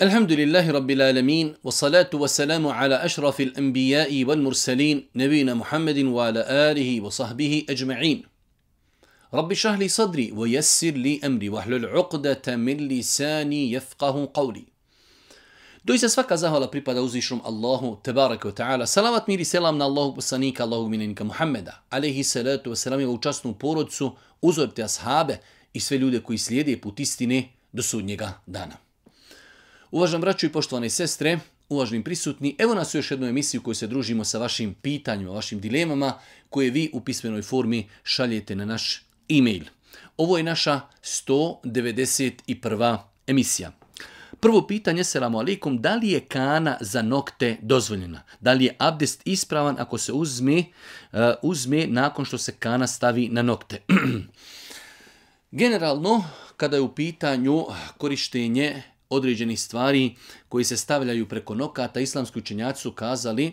الحمد لله رب العالمين والصلاة والسلام على أشرف الأنبياء والمرسلين نبينا محمد وعلى آله وصحبه أجمعين رب اشرح لي صدري ويسر لي أمري واحلل عقدة من لساني يفقه قولي. Doista svaka zahvala pripada uzvišenom Allahu tebareke ve taala. Salavat mir i selam na Allahog poslanika, Allahog miljenika Muhammeda alejhi salatu vesselam i u časnu porodicu, uzor te ashabe i sve ljude koji slijede put istine do sudnjega dana. Uvaženi braćo i poštovane sestre, uvaženi prisutni, evo nas u još jednu emisiju koju se družimo sa vašim pitanjima, vašim dilemama koje vi u pismenoj formi šaljete na naš e-mail. Ovo je naša 191. emisija. Prvo pitanje, selamu alaikum, da li je kana za nokte dozvoljena? Da li je abdest ispravan ako se uzme nakon što se kana stavi na nokte? Generalno, kada je u pitanju korištenje određenih stvari koji se stavljaju preko nokata, islamski učenjaci su kazali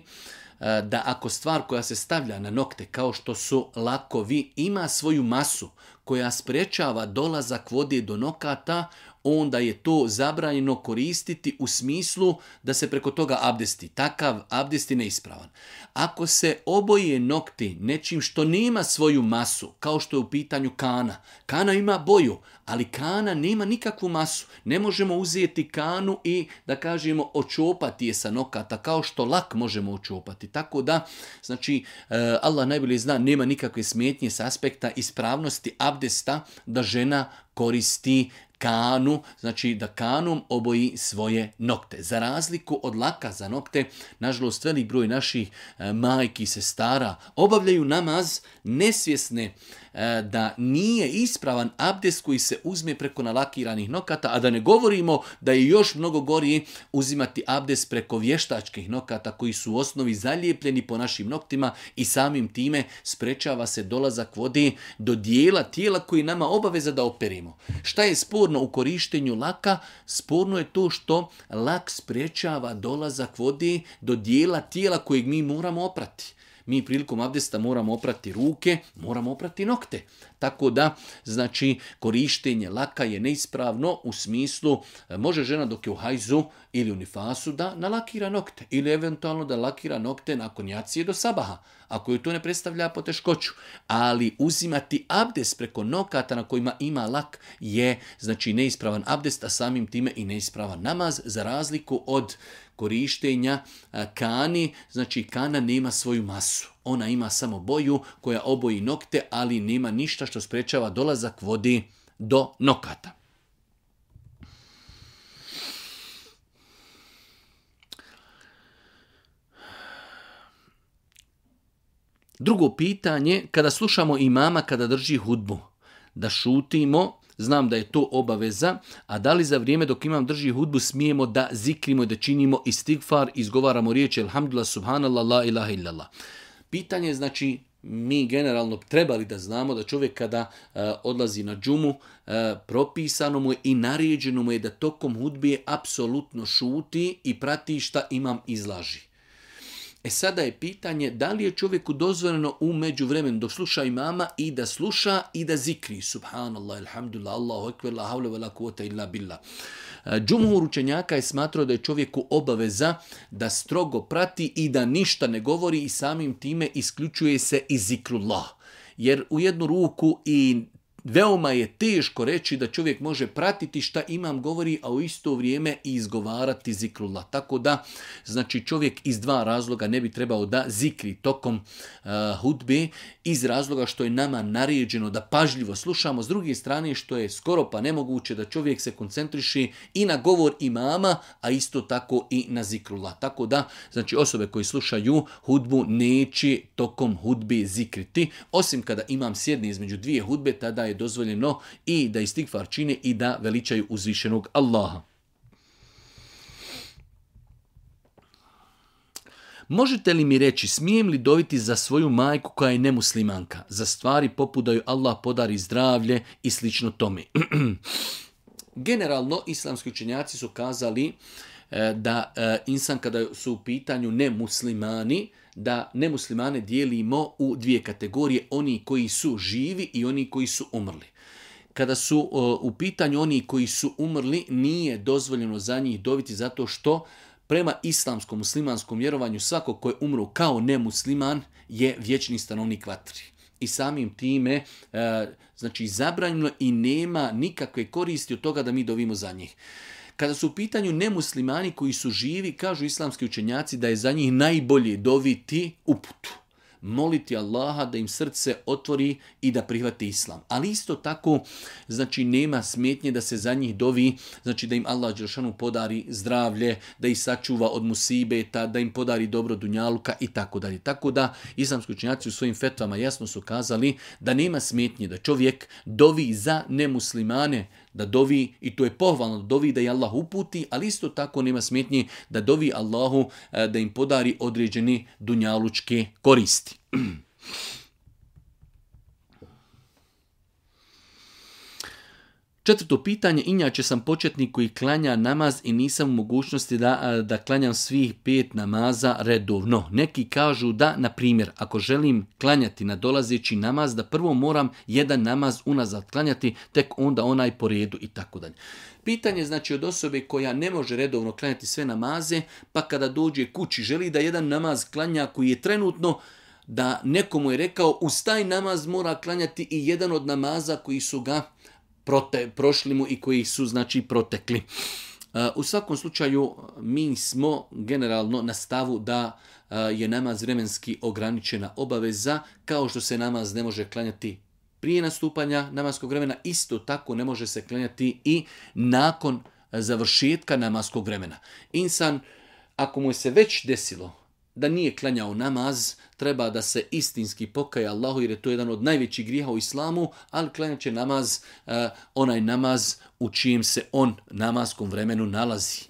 da ako stvar koja se stavlja na nokte, kao što su lakovi, ima svoju masu koja sprečava dolazak vode do nokata, onda je to zabranjeno koristiti u smislu da se preko toga abdesti. Takav abdest je neispravan. Ako se oboje nokti nečim što nema svoju masu, kao što je u pitanju kana. Kana ima boju, ali kana nema nikakvu masu. Ne možemo uzeti kanu i, da kažemo, očopati je sa nokata, kao što lak možemo očopati. Tako da, znači, Allah najbolje zna, nema nikakve smetnje s aspekta ispravnosti abdesta da žena koristi kanu, znači da kanom oboji svoje nokte. Za razliku od laka za nokte, nažalost velik broj naših majki i sestara obavljaju namaz nesvjesne da nije ispravan abdest koji se uzme preko nalakiranih nokata, a da ne govorimo da je još mnogo gorije uzimati abdest preko vještačkih nokata koji su u osnovi zalijepljeni po našim noktima i samim time sprečava se dolazak vode do dijela tijela koji nama obaveza da operimo. Šta je sporno u korištenju laka? Sporno je to što lak sprečava dolazak vode do dijela tijela kojeg mi moramo oprati. Mi prilikom abdesta moramo oprati ruke, moramo oprati nokte. Tako da, znači, korištenje laka je neispravno u smislu, može žena dok je u hajzu ili u nifasu da nalakira nokte ili eventualno da lakira nokte nakon jacije do sabaha, ako joj to ne predstavlja poteškoću. Ali uzimati abdest preko nokata na kojima ima lak je, znači, neispravan abdest, a samim time i neispravan namaz, za razliku od korištenja kani. Znači, kana nema svoju masu. Ona ima samo boju koja oboji nokte, ali nema ništa što sprečava dolazak vode do nokata. Drugo pitanje, kada slušamo imama kada drži hudbu, da šutimo, znam da je to obaveza, a da li za vrijeme dok imam drži hudbu smijemo da zikrimo i da činimo istigfar, izgovaramo riječi alhamdulillah, subhanallah, la ilaha illallah. Pitanje je, znači, mi generalno trebali da znamo da čovjek kada odlazi na džumu, propisano mu je i naređeno mu je da tokom hudbe apsolutno šuti i prati šta imam izlaži. Sada je pitanje da li je čovjeku dozvoljeno u međuvremenu dok sluša imama i da sluša i da zikri. Subhanallah, alhamdulillah, Allahu ekber, la havle ve la kuvvete illa billah. Džumhur učenjaka je smatrao da je čovjeku obaveza da strogo prati i da ništa ne govori i samim time isključuje se i zikrullah. Jer u jednu ruku i veoma je teško reći da čovjek može pratiti šta imam govori, a u isto vrijeme i izgovarati zikrullah. Tako da, znači, čovjek iz dva razloga ne bi trebao da zikri tokom hudbe, iz razloga što je nama naređeno da pažljivo slušamo, s druge strane što je skoro pa nemoguće da čovjek se koncentriše i na govor imama, a isto tako i na zikrullah. Tako da, znači, osobe koji slušaju hudbu neće tokom hudbe zikriti, osim kada imam sjedne između dvije hudbe, tada je dozvoljeno i da istigfar čine i da veličaju uzvišenog Allaha. Možete li mi reći, smijem li doviti za svoju majku koja je nemuslimanka, za stvari poput da joj Allah podari zdravlje i slično tome? Generalno, islamski učenjaci su kazali da insan kada su u pitanju nemuslimani, da nemuslimane dijelimo u dvije kategorije, oni koji su živi i oni koji su umrli. kada su u pitanju oni koji su umrli, nije dozvoljeno za njih doviti zato što prema islamskom, muslimanskom vjerovanju svako ko je umro kao nemusliman je vječni stanovnik vatri. I samim time, znači zabranjeno i nema nikakve koristi od toga da mi dovimo za njih. Kada su u pitanju nemuslimani koji su živi, kažu islamski učenjaci da je za njih najbolje doviti uputu. Moliti Allaha da im srce otvori i da prihvate islam. Ali isto tako, znači nema smetnje da se za njih dovi, znači da im Allah dželešanu podari zdravlje, da ih sačuva od musibeta, da im podari dobro dunjaluka i tako dalje. Tako da islamski učenjaci u svojim fetvama jasno su kazali da nema smetnje da čovjek dovi za nemuslimane, da dovi, i to je pohvalno, da dovi da je Allah uputi, ali isto tako nema smetnje da dovi Allahu da im podari određeni dunjalučke koristi. Četvrto pitanje, inače sam početnik koji klanja namaz i nisam u mogućnosti da klanjam svih 5 namaza redovno. Neki kažu da, na primjer, ako želim klanjati na dolazeći namaz, da prvo moram jedan namaz unazad klanjati, tek onda onaj po redu i tako dalje. Pitanje znači od osobe koja ne može redovno klanjati sve namaze, pa kada dođe kući želi da jedan namaz klanja koji je trenutno, da nekomu je rekao uz taj namaz mora klanjati i jedan od namaza koji su ga prošli mu i koji su znači protekli. U svakom slučaju mi smo generalno na stavu da je namaz vremenski ograničena obaveza, kao što se namaz ne može klanjati prije nastupanja namaskog vremena, isto tako ne može se klanjati i nakon završetka namaskog vremena. Insan, ako mu je se već desilo da nije klanjao namaz, treba da se istinski pokaje Allahu, jer je to jedan od najvećih grijeha u islamu, ali klanjat će namaz, onaj namaz u čijem se on namaskom vremenu nalazi.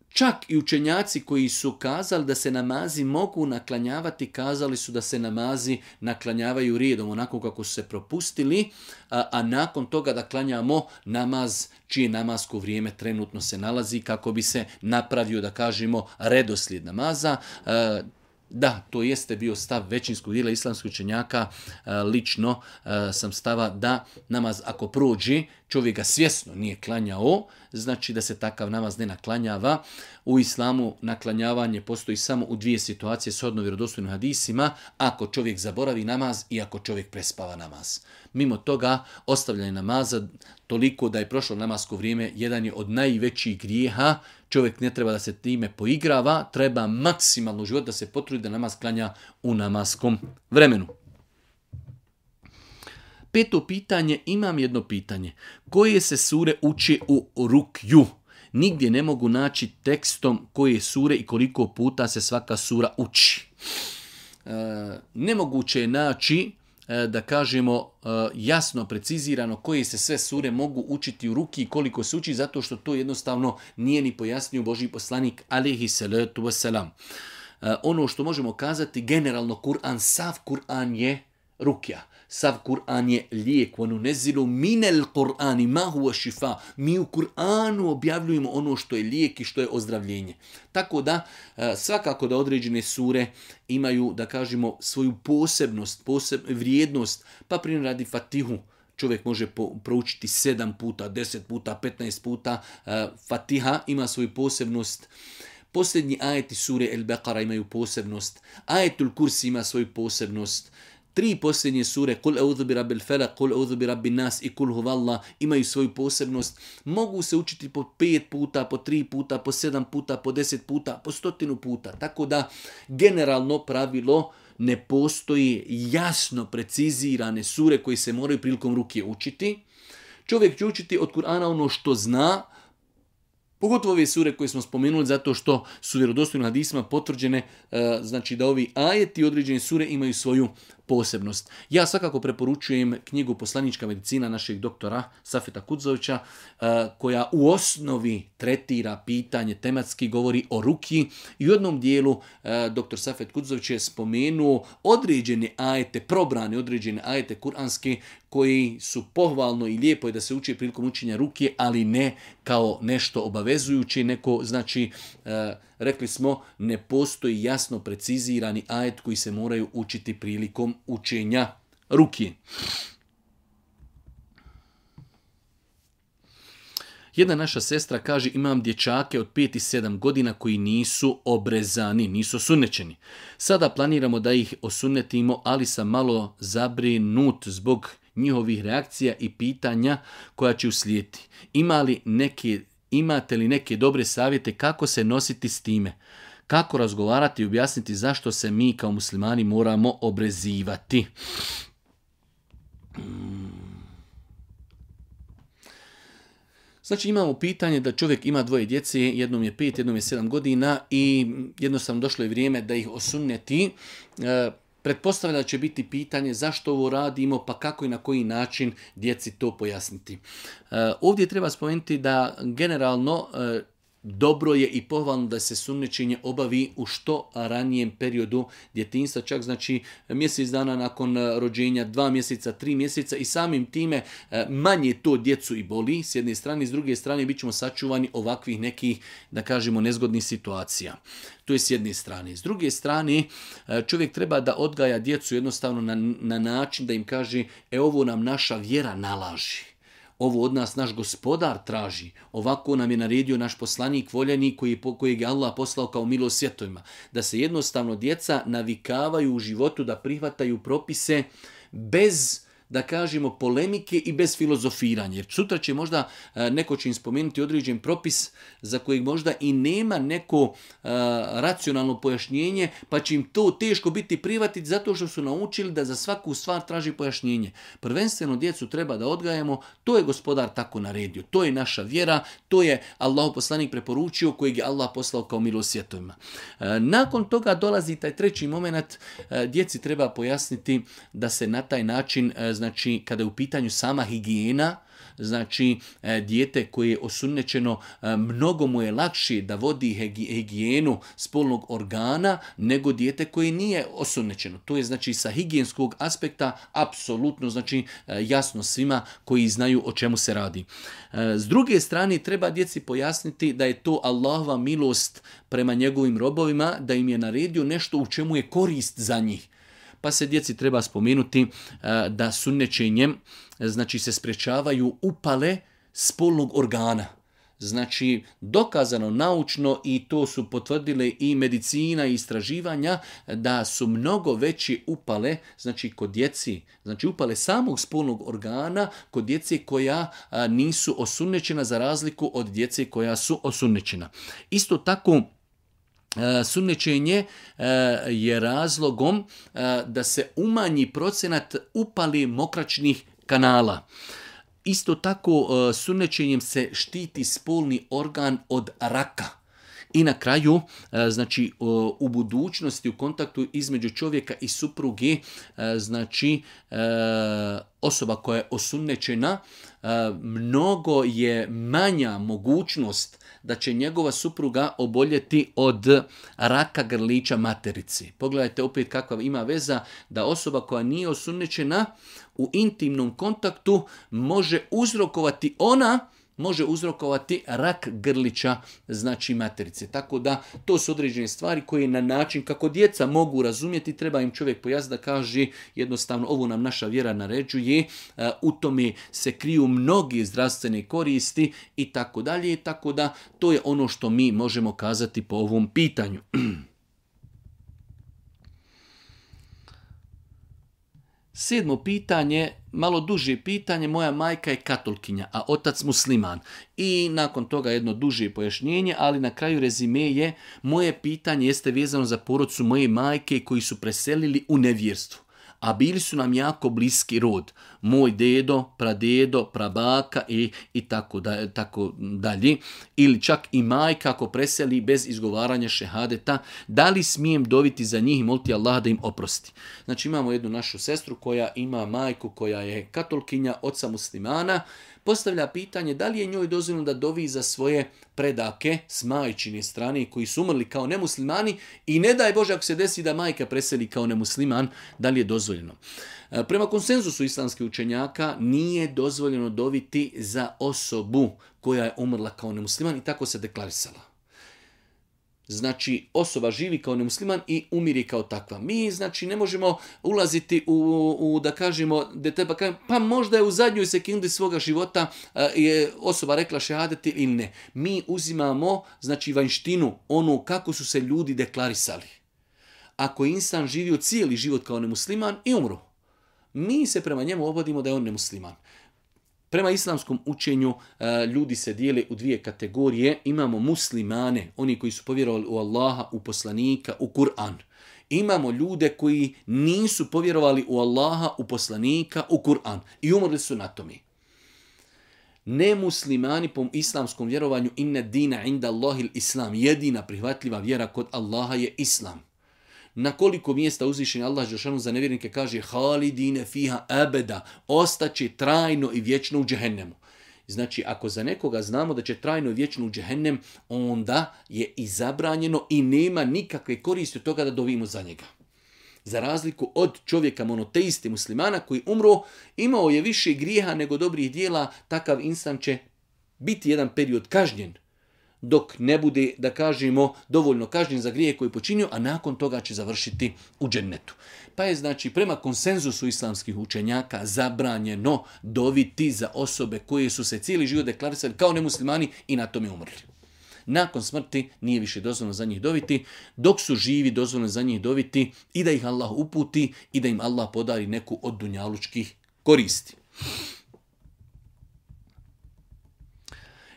Čak i učenjaci koji su kazali da se namazi mogu naklanjavati, kazali su da se namazi naklanjavaju redom, onako kako su se propustili, a nakon toga da klanjamo namaz čije namasko vrijeme trenutno se nalazi, kako bi se napravio, da kažemo, redoslijed namaza. Da, to jeste bio stav većinskog dijela islamskih učenjaka. Lično sam stava da namaz ako prođe, čovjek ga svjesno nije klanjao, znači da se takav namaz ne naklanjava. U islamu naklanjavanje postoji samo u 2 situacije shodno vjerodostojnim hadisima, ako čovjek zaboravi namaz i ako čovjek prespava namaz. Mimo toga, ostavljanje namaza toliko da je prošlo namasko vrijeme jedan je od najvećih grijeha. Čovjek ne treba da se time poigrava, treba maksimalno u život da se potrudi da namaz klanja u namaskom vremenu. 5. pitanje, imam jedno pitanje. Koje se sure uče u rukju? Nigdje ne mogu naći tekstom koje sure i koliko puta se svaka sura uči. Nemoguće je naći, da kažemo, jasno precizirano koje se sve sure mogu učiti u ruki i koliko se uči, zato što to jednostavno nije ni pojasnio Božji poslanik alejhi salatu vesselam. Ono što možemo kazati, generalno Kur'an, sav Kur'an je rukja. Sav Kur'an je lijek. وَنُنَزِّلُ مِنَ الْقُرْآنِ مَا هُوَ شِفَا. Mi u Kur'anu objavljujemo ono što je lijek i što je ozdravljenje. Tako da, svakako da određene sure imaju, da kažemo, svoju posebnost, vrijednost, pa primjer radi Fatihu. Čovjek može proučiti 7 puta, 10 puta, 15 puta. Fatiha ima svoju posebnost. Posljednji ajeti sure El-Beqara imaju posebnost. Ajetul Kursi ima svoju posebnost. 3 posljednje sure, Kul eudhu bi rabbil felak, Kul eudhu bi rabbin nas i Kul huvallah, imaju svoju posebnost. Mogu se učiti po 5 puta, po 3 puta, po 7 puta, po 10 puta, po 100 puta. Tako da, generalno pravilo, ne postoji jasno precizirane sure koje se moraju prilikom ruke učiti. Čovjek će učiti od Kur'ana ono što zna, pogotovo ove sure koje smo spomenuli, zato što su vjerodostojnim hadisima potvrđene, znači da ovi ajeti određene sure imaju svoju posebnost. Ja svakako preporučujem knjigu Poslanička medicina našeg doktora Safeta Kudzovića, koja u osnovi tretira pitanje, tematski govori o ruki, i u jednom dijelu doktor Safet Kudzović je spomenuo određene ajete, probrane određene ajete kuranske koji su pohvalno i lijepo je da se uči prilikom učenja ruke, ali ne kao nešto obavezujuće, neko, znači, rekli smo, ne postoji jasno precizirani ajet koji se moraju učiti prilikom učenja ruke. Jedna naša sestra kaže imam dječake od 5 i 7 godina koji nisu obrezani, nisu osunnećeni. Sada planiramo da ih osunnetimo, ali sam malo zabrinut zbog njihovih reakcija i pitanja koja će uslijediti. Imate li neke dobre savjete kako se nositi s time? Kako razgovarati i objasniti zašto se mi kao muslimani moramo obrezivati? Znači imamo pitanje da čovjek ima 2 djece, jednom je 5, jednom je 7 godina i jednostavno došlo je vrijeme da ih osunneti. Pretpostavlja da će biti pitanje zašto ovo radimo, pa kako i na koji način djeci to pojasniti. Ovdje treba spomenuti da generalno dobro je i pohvalno da se sunnećenje obavi u što ranijem periodu djetinjstva, čak znači mjesec dana nakon rođenja, 2 mjeseca, 3 mjeseca i samim time manje to djecu i boli s jedne strane, s druge strane bit ćemo sačuvani ovakvih nekih, da kažemo, nezgodnih situacija. To je s jedne strane. S druge strane, čovjek treba da odgaja djecu jednostavno na način da im kaže ovo nam naša vjera nalaži. Ovo od nas naš gospodar traži. Ovako nam je naredio naš poslanik voljeni kojeg je Allah poslao kao milost svjetovima. Da se jednostavno djeca navikavaju u životu da prihvataju propise bez, da kažemo, polemike i bez filozofiranja. Jer sutra će možda neko će im spomenuti određen propis za kojeg možda i nema neko racionalno pojašnjenje, pa će im to teško biti prihvatiti zato što su naučili da za svaku stvar traži pojašnjenje. Prvenstveno djecu treba da odgajamo, to je gospodar tako naredio, to je naša vjera, to je Allahov poslanik preporučio kojeg je Allah poslao kao milost svjetovima. Nakon toga dolazi taj treći moment, djeci treba pojasniti da se na taj način, znači kada je u pitanju sama higijena, znači dijete koje je osunnećeno, mnogo mu je lakše da vodi higijenu spolnog organa nego dijete koje nije osunnećeno. To je znači sa higijenskog aspekta apsolutno znači jasno svima koji znaju o čemu se radi. S druge strane treba djeci pojasniti da je to Allahova milost prema njegovim robovima, da im je naredio nešto u čemu je korist za njih. Pa se djeci treba spomenuti da sunnećenjem znači se sprečavaju upale spolnog organa. Znači dokazano naučno i to su potvrdile i medicina i istraživanja da su mnogo veće upale, znači kod djeci, znači upale samog spolnog organa kod djece koja nisu osunnećena za razliku od djece koja su osunnećena. Isto tako sunnećenje je razlogom da se umanji procenat upali mokraćnih kanala. Isto tako sunnećenjem se štiti spolni organ od raka. I na kraju, znači u budućnosti u kontaktu između čovjeka i supruge, znači osoba koja je osunnećena, mnogo je manja mogućnost da će njegova supruga oboljeti od raka grlića materice. Pogledajte opet kakva ima veza da osoba koja nije osunnećena u intimnom kontaktu može uzrokovati rak grlića, znači materice. Tako da to su određene stvari koje na način kako djeca mogu razumjeti, treba im čovjek pojasniti da kaže jednostavno ovo nam naša vjera naređuje, u tome se kriju mnogi zdravstvene koristi i tako dalje. Tako da to je ono što mi možemo kazati po ovom pitanju. 7. pitanje, malo duže pitanje, moja majka je katolkinja, a otac musliman. I nakon toga jedno duže pojašnjenje, ali na kraju rezime je, moje pitanje jeste vezano za porodicu moje majke koji su preselili u nevjerstvo. A bili su nam jako bliski rod. Moj dedo, pradedo, prabaka i tako dalje. Ili čak i majka ako preseli bez izgovaranja šehadeta. Da li smijem doviti za njih i moliti Allah da im oprosti? Znači imamo jednu našu sestru koja ima majku koja je katolkinja, oca muslimana. Postavlja pitanje da li je njoj dozvoljeno da dovi za svoje predake s majčine strane koji su umrli kao nemuslimani i ne daj Bože ako se desi da majka preseli kao nemusliman, da li je dozvoljeno. Prema konsenzusu islamskih učenjaka nije dozvoljeno doviti za osobu koja je umrla kao nemusliman i tako se deklarisala. Znači, osoba živi kao nemusliman i umiri kao takva. Mi, znači, ne možemo ulaziti u da kažemo, pa možda je u zadnjoj sekundi svoga života je osoba rekla šehadeti ili ne. Mi uzimamo, znači, vanjštinu, onu kako su se ljudi deklarisali. Ako je insan živio cijeli život kao nemusliman i umru, mi se prema njemu obhodimo da je on nemusliman. Prema islamskom učenju ljudi se dijele u dvije kategorije. Imamo muslimane, oni koji su povjerovali u Allaha, u poslanika, u Kur'an. Imamo ljude koji nisu povjerovali u Allaha, u poslanika, u Kur'an i umrli su na tome. Nemuslimani po islamskom vjerovanju inna dina inda Allahil islam. Jedina prihvatljiva vjera kod Allaha je islam. Na koliko mjesta uzvišen Allah dželešanu za nevjernike kaže halidine fiha abeda, ostaće trajno i vječno u džehennemu. Znači, ako za nekoga znamo da će trajno i vječno u džehennem, onda je i zabranjeno i nema nikakve koristi od toga da dovimo za njega. Za razliku od čovjeka monoteiste muslimana koji umro, imao je više grijeha nego dobrih dijela, takav insan će biti jedan period kažnjen, dok ne bude, da kažemo, dovoljno kažnjen za grije koje je počinio, a nakon toga će završiti u džennetu. Pa je, znači, prema konsenzusu islamskih učenjaka zabranjeno doviti za osobe koje su se cijeli život deklarisali kao nemuslimani i na tome umrli. Nakon smrti nije više dozvoljeno za njih doviti, dok su živi dozvoljeno za njih doviti i da ih Allah uputi i da im Allah podari neku od dunjalučkih koristi.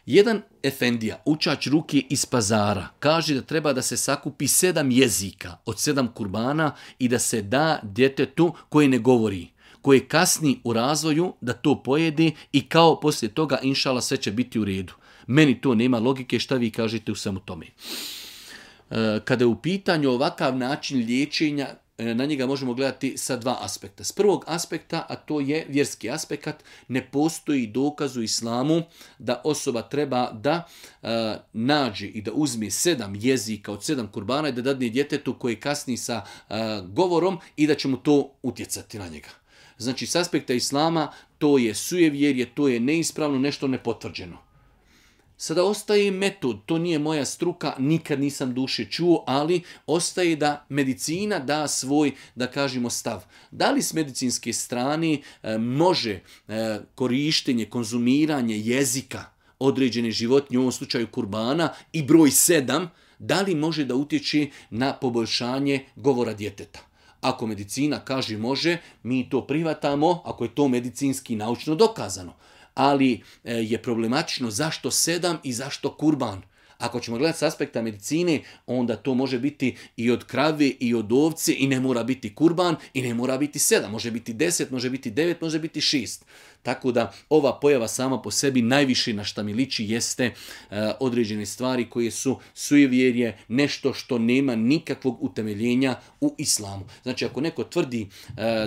Jedan efendija, učač ruke iz pazara, kaže da treba da se sakupi 7 jezika od 7 kurbana i da se da djetetu koje ne govori, koje kasni u razvoju da to pojede i kao poslije toga inšala sve će biti u redu. Meni to nema logike, šta vi kažete u svemu tome. Kada je u pitanju ovakav način liječenja, na njega možemo gledati sa dva aspekta. S prvog aspekta, a to je vjerski aspekt, ne postoji dokaz u islamu da osoba treba da nađe i da uzme 7 jezika od 7 kurbana i da dadne djetetu koje kasni sa govorom i da će mu to utjecati na njega. Znači, s aspekta islama to je sujevjerje, to je neispravno, nešto nepotvrđeno. Sada ostaje metod, to nije moja struka, nikad nisam duše čuo, ali ostaje da medicina da svoj, da kažemo, stav. Da li s medicinske strane može korištenje, konzumiranje jezika određene životinje, u ovom slučaju kurbana, i broj 7, da li može da utječe na poboljšanje govora djeteta? Ako medicina kaže može, mi to prihvatamo, ako je to medicinski naučno dokazano. Ali je problematično zašto 7 i zašto kurban. Ako ćemo gledati s aspekta medicine, onda to može biti i od krave i od ovce i ne mora biti kurban i ne mora biti 7. Može biti 10, može biti 9, može biti 6. Tako da ova pojava sama po sebi najviše na šta mi liči jeste određene stvari koje su sujevjerje, nešto što nema nikakvog utemeljenja u islamu. Znači, ako neko tvrdi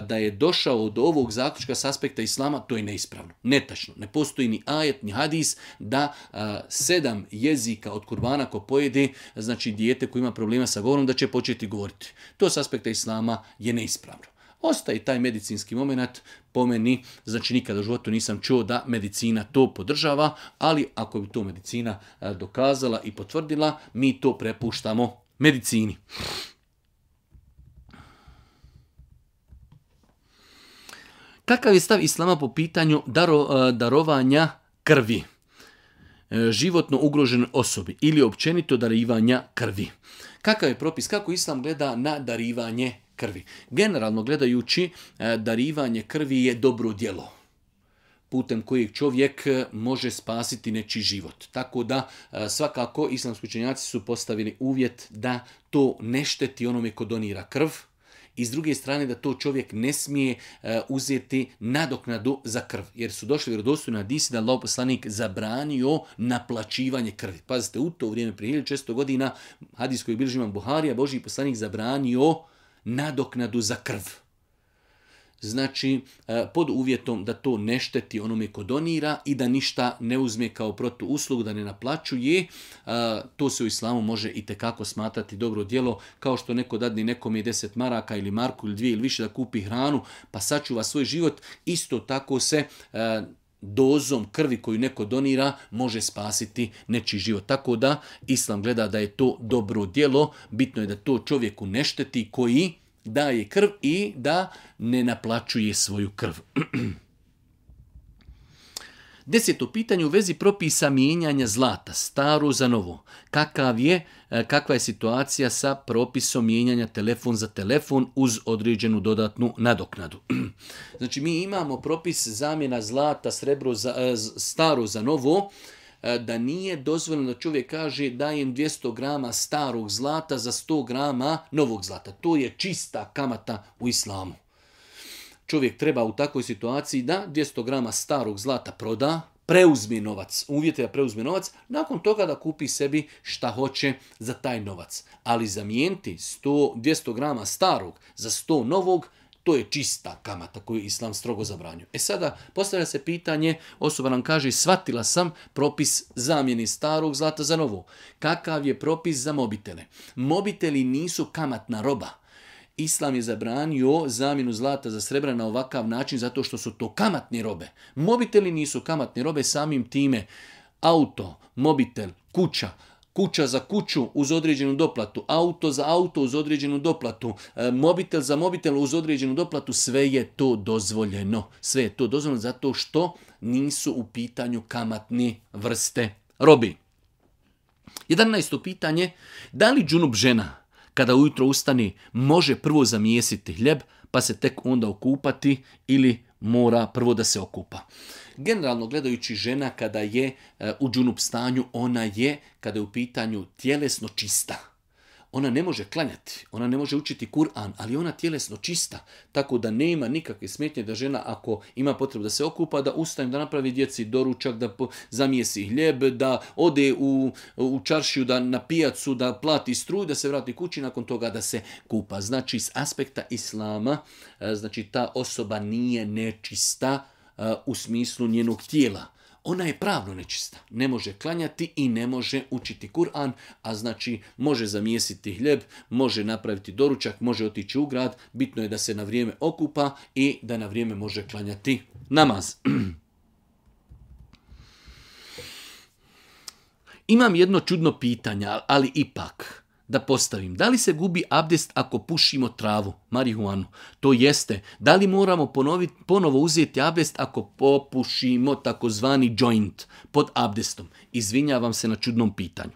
da je došao do ovog zaključka s aspekta islama, to je neispravno, netačno. Ne postoji ni ajet, ni hadis da 7 jezika od kurbana ko pojede, znači dijete koje ima problema sa govorom, da će početi govoriti. To s aspekta islama je neispravno. Ostaje taj medicinski moment, po meni, znači nikada u životu nisam čuo da medicina to podržava, ali ako bi to medicina dokazala i potvrdila, mi to prepuštamo medicini. Kakav je stav islama po pitanju darovanja krvi životno ugroženoj osobi ili općenito darivanja krvi? Kakav je propis, kako islam gleda na darivanje krvi? Generalno gledajući, darivanje krvi je dobro djelo putem kojeg čovjek može spasiti nečiji život. Tako da svakako islamski učenjaci su postavili uvjet da to ne šteti onome ko donira krv i s druge strane da to čovjek ne smije uzeti nadoknadu za krv. Jer su došli vjerodostojni hadisi da Allahov poslanik zabranio naplaćivanje krvi. Pazite, u to vrijeme prije 1600 godina hadis koji bilježi imam Buharija, Božji poslanik zabranio nadoknadu za krv. Znači, pod uvjetom da to ne šteti onome ko donira i da ništa ne uzme kao protuuslugu, da ne naplaćuje, to se u islamu može itekako smatrati dobro djelo, kao što neko dadne nekome 10 maraka ili marku ili 2 ili više da kupi hranu, pa sačuva svoj život, isto tako se dozom krvi koju neko donira može spasiti nečiji život. Tako da Islam gleda da je to dobro djelo, bitno je da to čovjeku ne šteti koji daje krv i da ne naplaćuje svoju krv. 10. pitanje u vezi propisa mijenjanja zlata, staro za novo. Kakva je situacija sa propisom mijenjanja telefon za telefon uz određenu dodatnu nadoknadu? Znači mi imamo propis zamjena zlata, staro za novo, da nije dozvoljeno da čovjek kaže dajem 200 grama starog zlata za 100 grama novog zlata. To je čista kamata u islamu. Čovjek treba u takvoj situaciji da 200 grama starog zlata proda, preuzme novac, uvjete da preuzme novac, nakon toga da kupi sebi šta hoće za taj novac. Ali zamijeniti 200 grama starog za 100 novog, to je čista kamata koju Islam strogo zabranjuje. Sada postavlja se pitanje, osoba nam kaže shvatila sam propis zamjeni starog zlata za novo. Kakav je propis za mobitele? Mobiteli nisu kamatna roba. Islam je zabranio zamjenu zlata za srebra na ovakav način zato što su to kamatne robe. Mobiteli nisu kamatne robe, samim time auto, mobitel, kuća za kuću uz određenu doplatu, auto za auto uz određenu doplatu, mobitel za mobitel uz određenu doplatu, sve je to dozvoljeno. Sve je to dozvoljeno zato što nisu u pitanju kamatne vrste robi. 11. pitanje, da li džunup žena kada ujutro ustane može prvo zamijesiti hljeb pa se tek onda okupati ili mora prvo da se okupa? Generalno gledajući žena kada je u džunup stanju, ona je, kada je u pitanju tjelesno čista. Ona ne može klanjati, ona ne može učiti Kur'an, ali ona tjelesno čista. Tako da nema nikakve smetnje da žena ako ima potrebu da se okupa, da ustane, da napravi djeci doručak, da zamijesi hljeb, da ode u čaršiju, da na pijacu, da plati struju, da se vrati kući, nakon toga da se kupa. Znači s aspekta Islama, znači ta osoba nije nečista u smislu njenog tijela. Ona je pravno nečista. Ne može klanjati i ne može učiti Kur'an, a znači može zamijesiti hljeb, može napraviti doručak, može otići u grad. Bitno je da se na vrijeme okupa i da na vrijeme može klanjati namaz. Imam jedno čudno pitanje, ali ipak da postavim. Da li se gubi abdest ako pušimo travu, marihuanu? To jeste. Da li moramo ponovo uzeti abdest ako popušimo takozvani joint pod abdestom? Izvinjavam se na čudnom pitanju.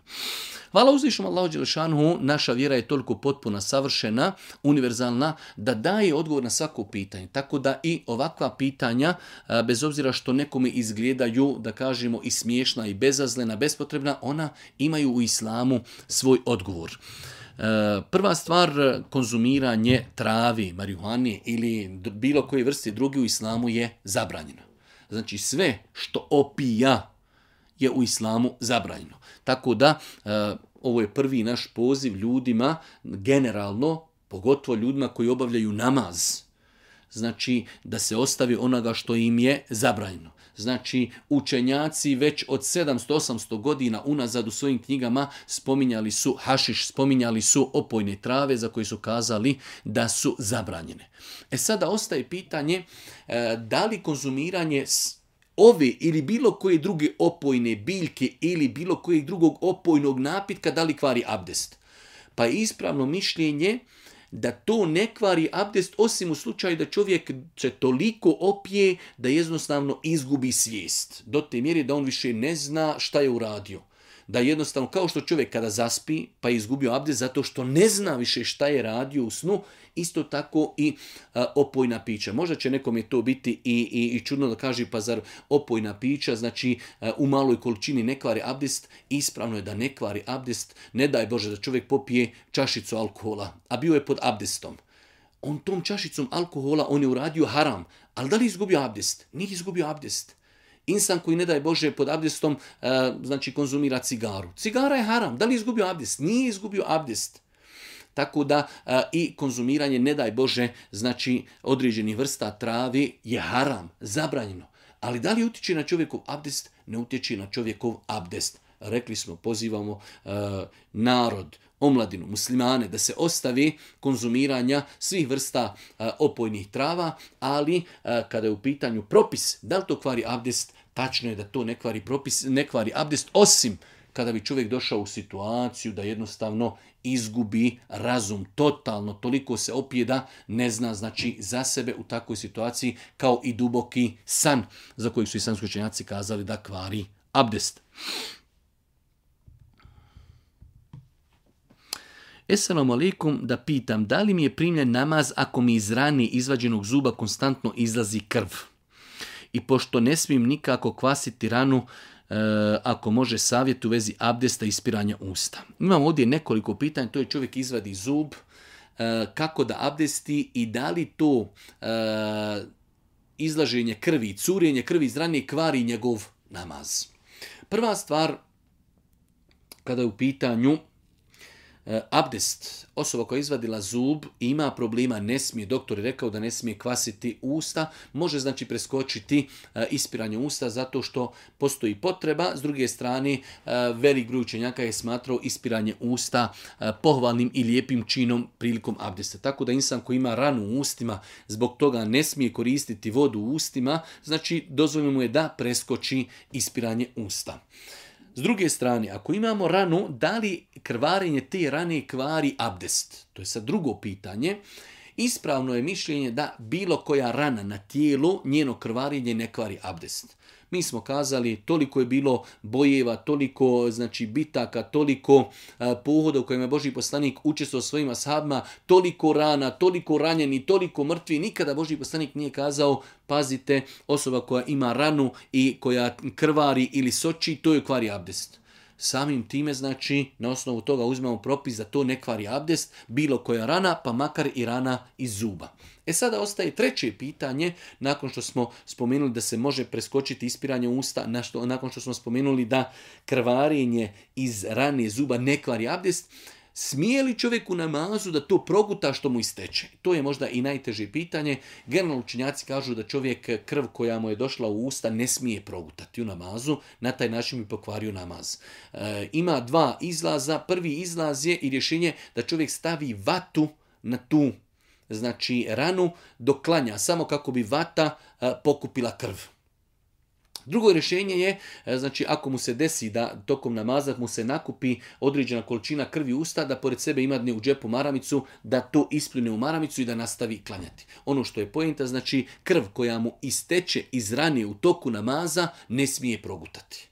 Hvala uzvišenom Allahu dželešanuhu, naša vjera je toliko potpuna, savršena, univerzalna, da daje odgovor na svako pitanje. Tako da i ovakva pitanja, bez obzira što nekome izgledaju, da kažemo, i smiješna i bezazlena, bespotrebna, ona imaju u islamu svoj odgovor. Prva stvar, konzumiranje travi, marihuane ili bilo koje vrste druge u islamu je zabranjeno. Znači sve što opija je u islamu zabranjeno. Tako da ovo je prvi naš poziv ljudima, generalno, pogotovo ljudima koji obavljaju namaz. Znači da se ostavi onoga što im je zabranjeno. Znači učenjaci već od 700-800 godina unazad u svojim knjigama spominjali su hašiš, spominjali su opojne trave za koje su kazali da su zabranjene. Sada ostaje pitanje da li konzumiranje ove ili bilo koje druge opojne biljke ili bilo kojeg drugog opojnog napitka da li kvari abdest. Pa je ispravno mišljenje da to ne kvari abdest osim u slučaju da čovjek se toliko opije da jednostavno izgubi svijest. Do te mjere da on više ne zna šta je uradio. Da jednostavno, kao što čovjek kada zaspi pa je izgubio abdest zato što ne zna više šta je radio u snu, isto tako i opojna pića. Možda će nekome to biti i čudno da kaže, pa zar opojna pića, znači u maloj količini ne kvari abdest? Ispravno je da ne kvari abdest. Ne daj Bože da čovjek popije čašicu alkohola, a bio je pod abdestom. On tom čašicom alkohola, on je uradio haram, ali da li je izgubio abdest? Nije izgubio abdest. Insan koji, ne daj Bože, pod abdestom znači konzumira cigaru. Cigara je haram. Da li je izgubio abdest? Nije izgubio abdest. Tako da i konzumiranje, ne daj Bože, znači određenih vrsta travi je haram, zabranjeno. Ali da li utječe na čovjekov abdest? Ne utječe na čovjekov abdest. Rekli smo, pozivamo narod, omladinu, muslimane da se ostavi konzumiranja svih vrsta opojnih trava, ali kada je u pitanju propis, da li to kvari abdest, tačno je da to ne kvari abdest, osim kada bi čovjek došao u situaciju da jednostavno izgubi razum totalno, toliko se opije da ne zna znači za sebe u takvoj situaciji, kao i duboki san za koji su islamski učenjaci kazali da kvari abdest. Esselamu alaikum, da pitam, da li mi je primljen namaz ako mi iz rane izvađenog zuba konstantno izlazi krv? I pošto ne smijem nikako kvasiti ranu, ako može savjet u vezi abdesta i ispiranja usta. Imam ovdje nekoliko pitanja, to je čovjek izvadi zub, kako da abdesti i da li to izlaženje krvi, curenje krvi iz rane kvari njegov namaz. Prva stvar, kada je u pitanju abdest, osoba koja je izvadila zub i ima problema, ne smije, doktor je rekao da ne smije kvasiti usta, može znači preskočiti ispiranje usta zato što postoji potreba. S druge strane, velik broj učenjaka je smatrao ispiranje usta pohvalnim i lijepim činom prilikom abdesta. Tako da insan koji ima ranu u ustima, zbog toga ne smije koristiti vodu u ustima, znači dozvoljeno mu je da preskoči ispiranje usta. S druge strane, ako imamo ranu, da li krvarenje te rane kvari abdest? To je sad drugo pitanje. Ispravno je mišljenje da bilo koja rana na tijelu, njeno krvarenje ne kvari abdest. Mi smo kazali, toliko je bilo bojeva, toliko znači bitaka, toliko pohoda u kojima je Božji poslanik učestvovao svojim ashabima, toliko rana, toliko ranjeni, toliko mrtvi. Nikada Božji poslanik nije kazao, pazite, osoba koja ima ranu i koja krvari ili soči, to je kvari abdest. Samim time, znači, na osnovu toga uzmemo propis da to ne kvari abdest, bilo koja rana, pa makar i rana iz zuba. Sada ostaje treće pitanje, nakon što smo spomenuli da se može preskočiti ispiranje usta, nakon što smo spomenuli da krvarenje iz rane zuba ne kvari abdest, smije li čovjek u namazu da to proguta što mu isteče? To je možda i najteže pitanje. Generalno učenjaci kažu da čovjek krv koja mu je došla u usta ne smije progutati u namazu, na taj način bi pokvario namaz. Ima dva izlaza. Prvi izlaz je i rješenje da čovjek stavi vatu na tu znači ranu dok klanja, samo kako bi vata pokupila krv. Drugo rješenje je, znači ako mu se desi da tokom namaza mu se nakupi određena količina krvi u usta, da pored sebe ima u džepu maramicu, da to ispljune u maramicu i da nastavi klanjati. Ono što je poenta, znači krv koja mu isteče iz rane u toku namaza ne smije progutati.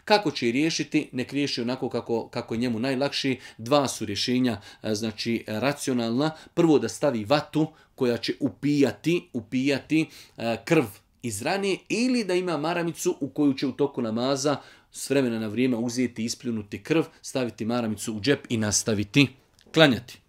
Kako će riješiti? Nek riješi onako kako je njemu najlakši. Dva su rješenja, znači racionalna. Prvo da stavi vatu koja će upijati krv iz rane, ili da ima maramicu u koju će u toku namaza s vremena na vrijeme uzeti, ispljunuti krv, staviti maramicu u džep i nastaviti klanjati.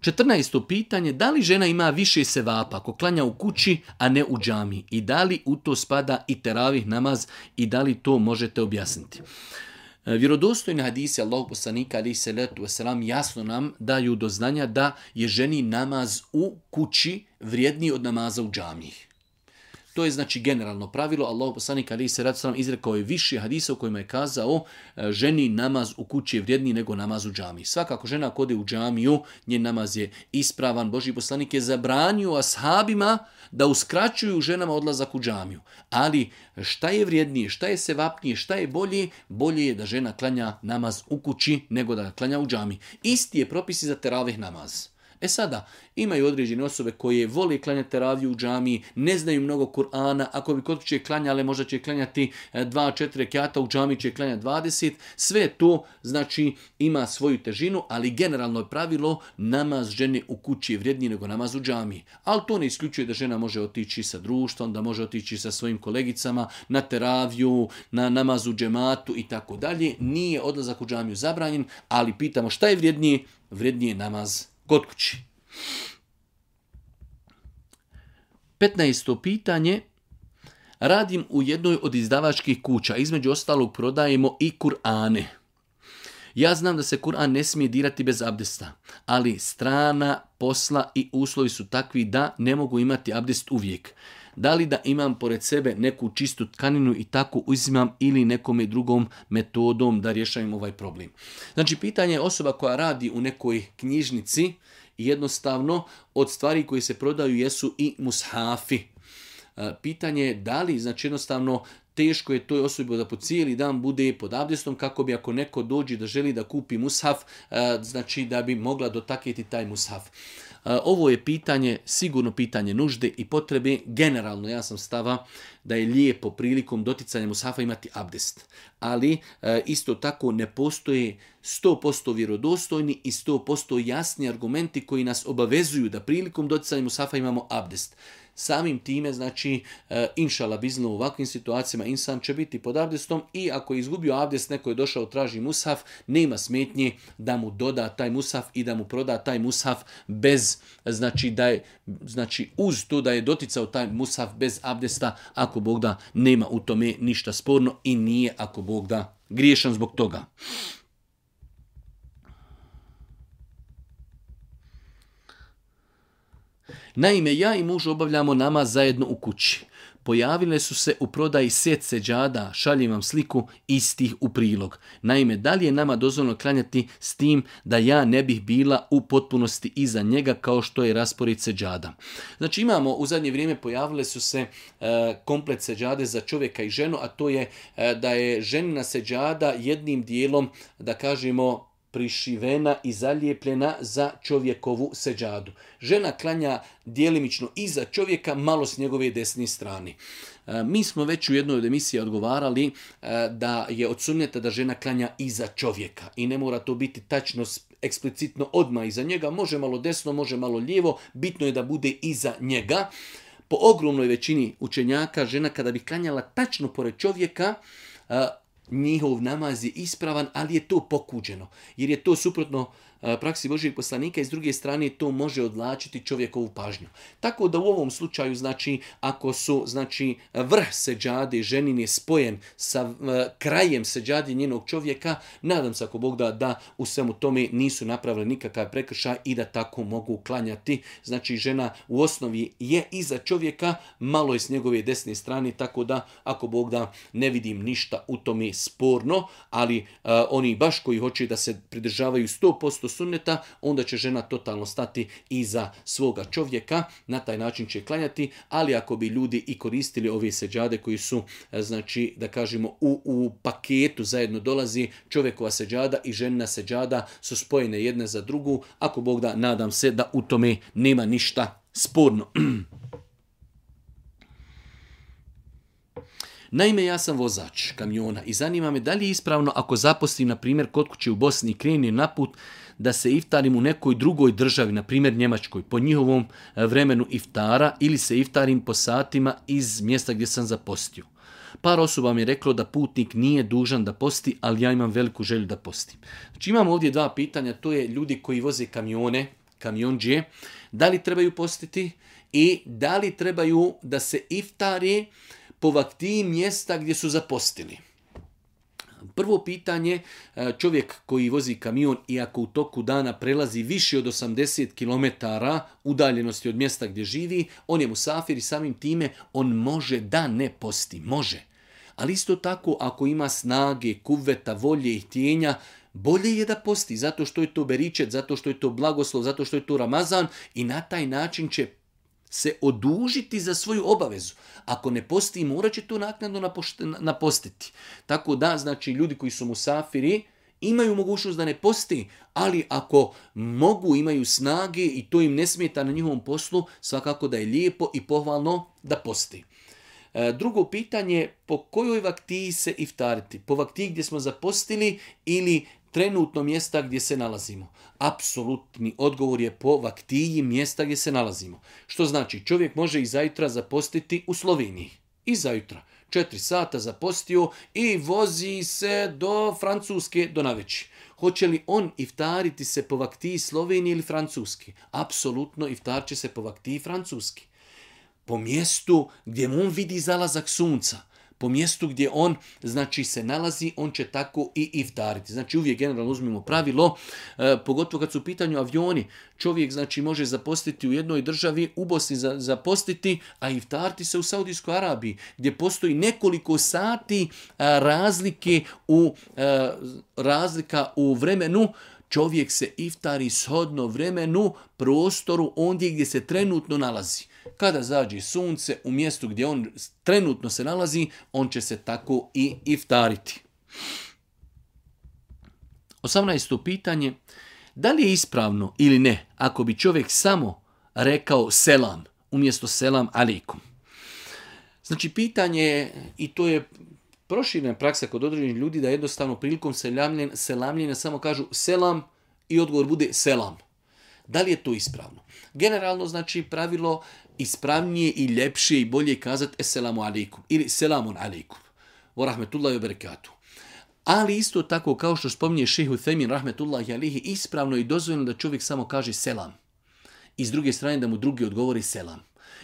14. pitanje, da li žena ima više sevapa ako klanja u kući, a ne u džami? I da li u to spada i teravih namaz i da li to možete objasniti? Vjerodostojni hadisi Allahog poslanika alejhi selatu vesselam jasno nam daju do znanja da je ženi namaz u kući vrijedniji od namaza u džamiji. To je znači generalno pravilo. Allahog poslanika alejhi selatu vesselam izrekao je više hadisa u kojima je kazao ženi namaz u kući je vrijedniji nego namaz u džamiji. Svakako žena ako ode u džamiju, njen namaz je ispravan. Božji poslanik je zabranio ashabima da uskraćuju ženama odlazak u džamiju. Ali šta je vrijednije, šta je sevapnije, šta je bolje? Bolje je da žena klanja namaz u kući nego da klanja u džamiji. Isti je propis i za teravih namaz. Sada, imaju određene osobe koje vole klanjati teraviju u džamiji, ne znaju mnogo Kur'ana, ako bi kod kuće klanjale, možda će klanjati 2-4 rekata, u džamiji će klanjati 20, sve to znači ima svoju težinu, ali generalno je pravilo namaz žene u kući je vrijedniji nego namaz u džamiji. Ali to ne isključuje da žena može otići sa društvom, da može otići sa svojim kolegicama na teraviju, na namaz u džematu i tako dalje. Nije odlazak u džamiju zabranjen, ali pitamo šta je vrijednije? Vrijednije je namaz kod kući. 15. pitanje. Radim u jednoj od izdavačkih kuća. Između ostalog prodajemo i Kur'ane. Ja znam da se Kur'an ne smije dirati bez abdesta, ali strana posla i uslovi su takvi da ne mogu imati abdest uvijek. Da li da imam pored sebe neku čistu tkaninu i tako uzimam ili nekome drugom metodom da rješavam ovaj problem? Znači, pitanje je osoba koja radi u nekoj knjižnici i jednostavno od stvari koje se prodaju jesu i mushafi. Pitanje je da li, znači jednostavno, teško je toj osobi da po cijeli dan bude pod abdestom kako bi ako neko dođe da želi da kupi mushaf, znači da bi mogla dotaknuti taj mushaf. Ovo je pitanje, sigurno pitanje nužde i potrebe. Generalno ja sam stava da je lijepo prilikom doticanja mushafa imati abdest. Ali isto tako ne postoje 100% vjerodostojni i 100% jasni argumenti koji nas obavezuju da prilikom doticanja mushafa imamo abdest. Samim time, znači, inšala bizno u ovakvim situacijama insan će biti pod abdestom i ako je izgubio abdest, neko je došao, traži mushaf, nema smetnje da mu doda taj mushaf i da mu proda taj mushaf bez, znači uz to da je doticao taj mushaf bez abdesta, ako Bog da nema u tome ništa sporno i nije, ako Bog da, griješan zbog toga. Naime, ja i muž obavljamo namaz zajedno u kući. Pojavile su se u prodaji set seđada, šaljem vam sliku istih u prilog. Naime, da li je nama dozvoljeno klanjati s tim da ja ne bih bila u potpunosti iza njega kao što je raspored seđada? Znači imamo, u zadnje vrijeme pojavile su se komplet seđade za čovjeka i ženu, a to je da je ženina seđada jednim dijelom, da kažemo, prišivena i zalijepljena za čovjekovu seđadu. Žena klanja djelimično iza čovjeka, malo s njegove desne strane. Mi smo već u jednoj od emisija odgovarali da je od sunneta da žena klanja iza čovjeka i ne mora to biti tačno eksplicitno odmah iza njega, može malo desno, može malo lijevo, bitno je da bude iza njega. Po ogromnoj većini učenjaka žena kada bi klanjala tačno pored čovjeka, njihov namaz je ispravan, ali je to pokuđeno. Jer je to suprotno praksi Božijeg poslanika i s druge strane to može odvlačiti čovjekovu pažnju. Tako da u ovom slučaju, znači, ako su, znači, vrh seđade ženin je spojen sa krajem seđade njenog čovjeka, nadam se ako Bog da u svemu tome nisu napravili nikakav prekršaj i da tako mogu klanjati. Znači, žena u osnovi je iza čovjeka, malo je s njegove desne strane, tako da ako Bog da ne vidim ništa u tome sporno, ali oni baš koji hoće da se pridržavaju 100% sunneta, onda će žena totalno stati iza svoga čovjeka, na taj način će klanjati, ali ako bi ljudi i koristili ove seđade koji su, znači, da kažemo, u paketu zajedno dolazi čovjekova seđada i ženina seđada su spojene jedne za drugu, ako Bog da, nadam se da u tome nema ništa sporno. Naime, ja sam vozač kamiona i zanima me da li je ispravno ako zaposlim, na primjer, kod kuće u Bosni i krenem na put da se iftarim u nekoj drugoj državi, na primjer Njemačkoj, po njihovom vremenu iftara ili se iftarim po satima iz mjesta gdje sam zapostio. Par osoba mi je reklo da putnik nije dužan da posti, ali ja imam veliku želju da postim. Znači imamo ovdje dva pitanja, to je ljudi koji voze kamione, kamionđije, da li trebaju postiti i da li trebaju da se iftari po vaktiji mjesta gdje su zapostili. Prvo pitanje, čovjek koji vozi kamion i ako u toku dana prelazi više od 80 km udaljenosti od mjesta gdje živi, on je musafir i samim time on može da ne posti, može. Ali isto tako ako ima snage, kuvveta, volje i htjenja, bolje je da posti, zato što je to beričet, zato što je to blagoslov, zato što je to Ramazan i na taj način će se odužiti za svoju obavezu. Ako ne posti, morat će to naknadno napostiti. Tako da, znači, ljudi koji su musafiri imaju mogućnost da ne posti, ali ako mogu, imaju snage i to im ne smeta na njihovom poslu, svakako da je lijepo i pohvalno da posti. Drugo pitanje, po kojoj vaktiji se iftariti? Po vaktiji gdje smo zapostili ili trenutno mjesta gdje se nalazimo? Apsolutni odgovor je po vaktiji mjesta gdje se nalazimo. Što znači, čovjek može i zajutra zapostiti u Sloveniji. I zajutra. 4 sata zapostio i vozi se do Francuske do naveći. Hoće li on iftariti se po vaktiji Slovenije ili Francuske? Apsolutno iftar će se po vaktiji Francuske. Po mjestu gdje on vidi zalazak sunca. Po mjestu gdje on, znači, se nalazi, on će tako i iftariti. Znači, uvijek generalno uzmimo pravilo, pogotovo kad su u pitanju avioni. Čovjek, znači, može zapostiti u jednoj državi, u Bosni zapostiti, a iftariti se u Saudijskoj Arabiji, gdje postoji nekoliko sati razlika u vremenu. Čovjek se iftari shodno vremenu, prostoru, ondje gdje se trenutno nalazi. Kada zađe sunce u mjestu gdje on trenutno se nalazi, on će se tako i iftariti. 18. pitanje. Da li je ispravno ili ne ako bi čovjek samo rekao selam umjesto selam alejkum? Znači pitanje je, i to je proširena praksa kod određenih ljudi, da jednostavno prilikom selamljenja samo kažu selam i odgovor bude selam. Da li je to ispravno? Generalno znači pravilo ispravnije i ljepše i bolje kazati esselamu alejkum ili selamun alejkum wa rahmetullahi wa barakatuh. Ali isto tako kao što spominje šejh Uthejmin rahmetullahi alejhi, ispravno i dozvoljeno da čovjek samo kaže selam. I s druge strane da mu drugi odgovori selam.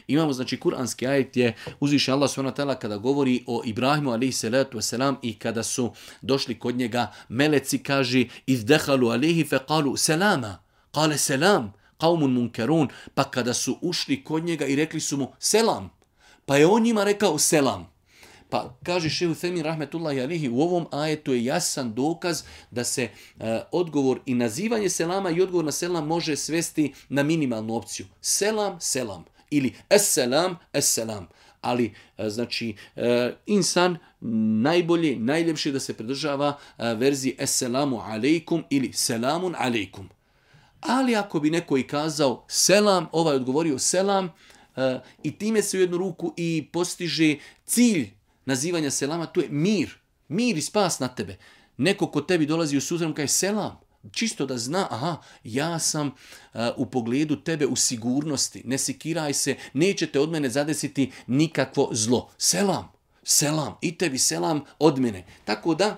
Imamo znači kuranski ajet gdje uzviše Allah subhanahu wa ta'ala kada govori o Ibrahimu alejhi salatu vesselam i kada su došli kod njega meleci, kaže izdhalu alejhi fa qalu salama qala salam qaumun munkarun, pa kada su ušli kod njega i rekli su mu selam, pa je on njima rekao selam. Pa kaže šejh Uthejmin rahmetullahi alejhi, u ovom ajetu je jasan dokaz da se odgovor i nazivanje selama i odgovor na selam može svesti na minimalnu opciju. Selam, selam. Ili esselam, esselam. Ali, znači, insan najbolje, najljepše da se pridržava verziji esselamu alejkum ili selamun alejkum. Ali ako bi neko i kazao selam, ovaj odgovorio selam, i time se u jednu ruku i postiže cilj nazivanja selama, to je mir. Mir i spas na tebe. Neko ko tebi dolazi u susret kaže selam. Čisto da zna, aha, ja sam u pogledu tebe u sigurnosti, ne sikiraj se, nećete od mene zadesiti nikakvo zlo. Selam, selam, i tebi selam od mene. Tako da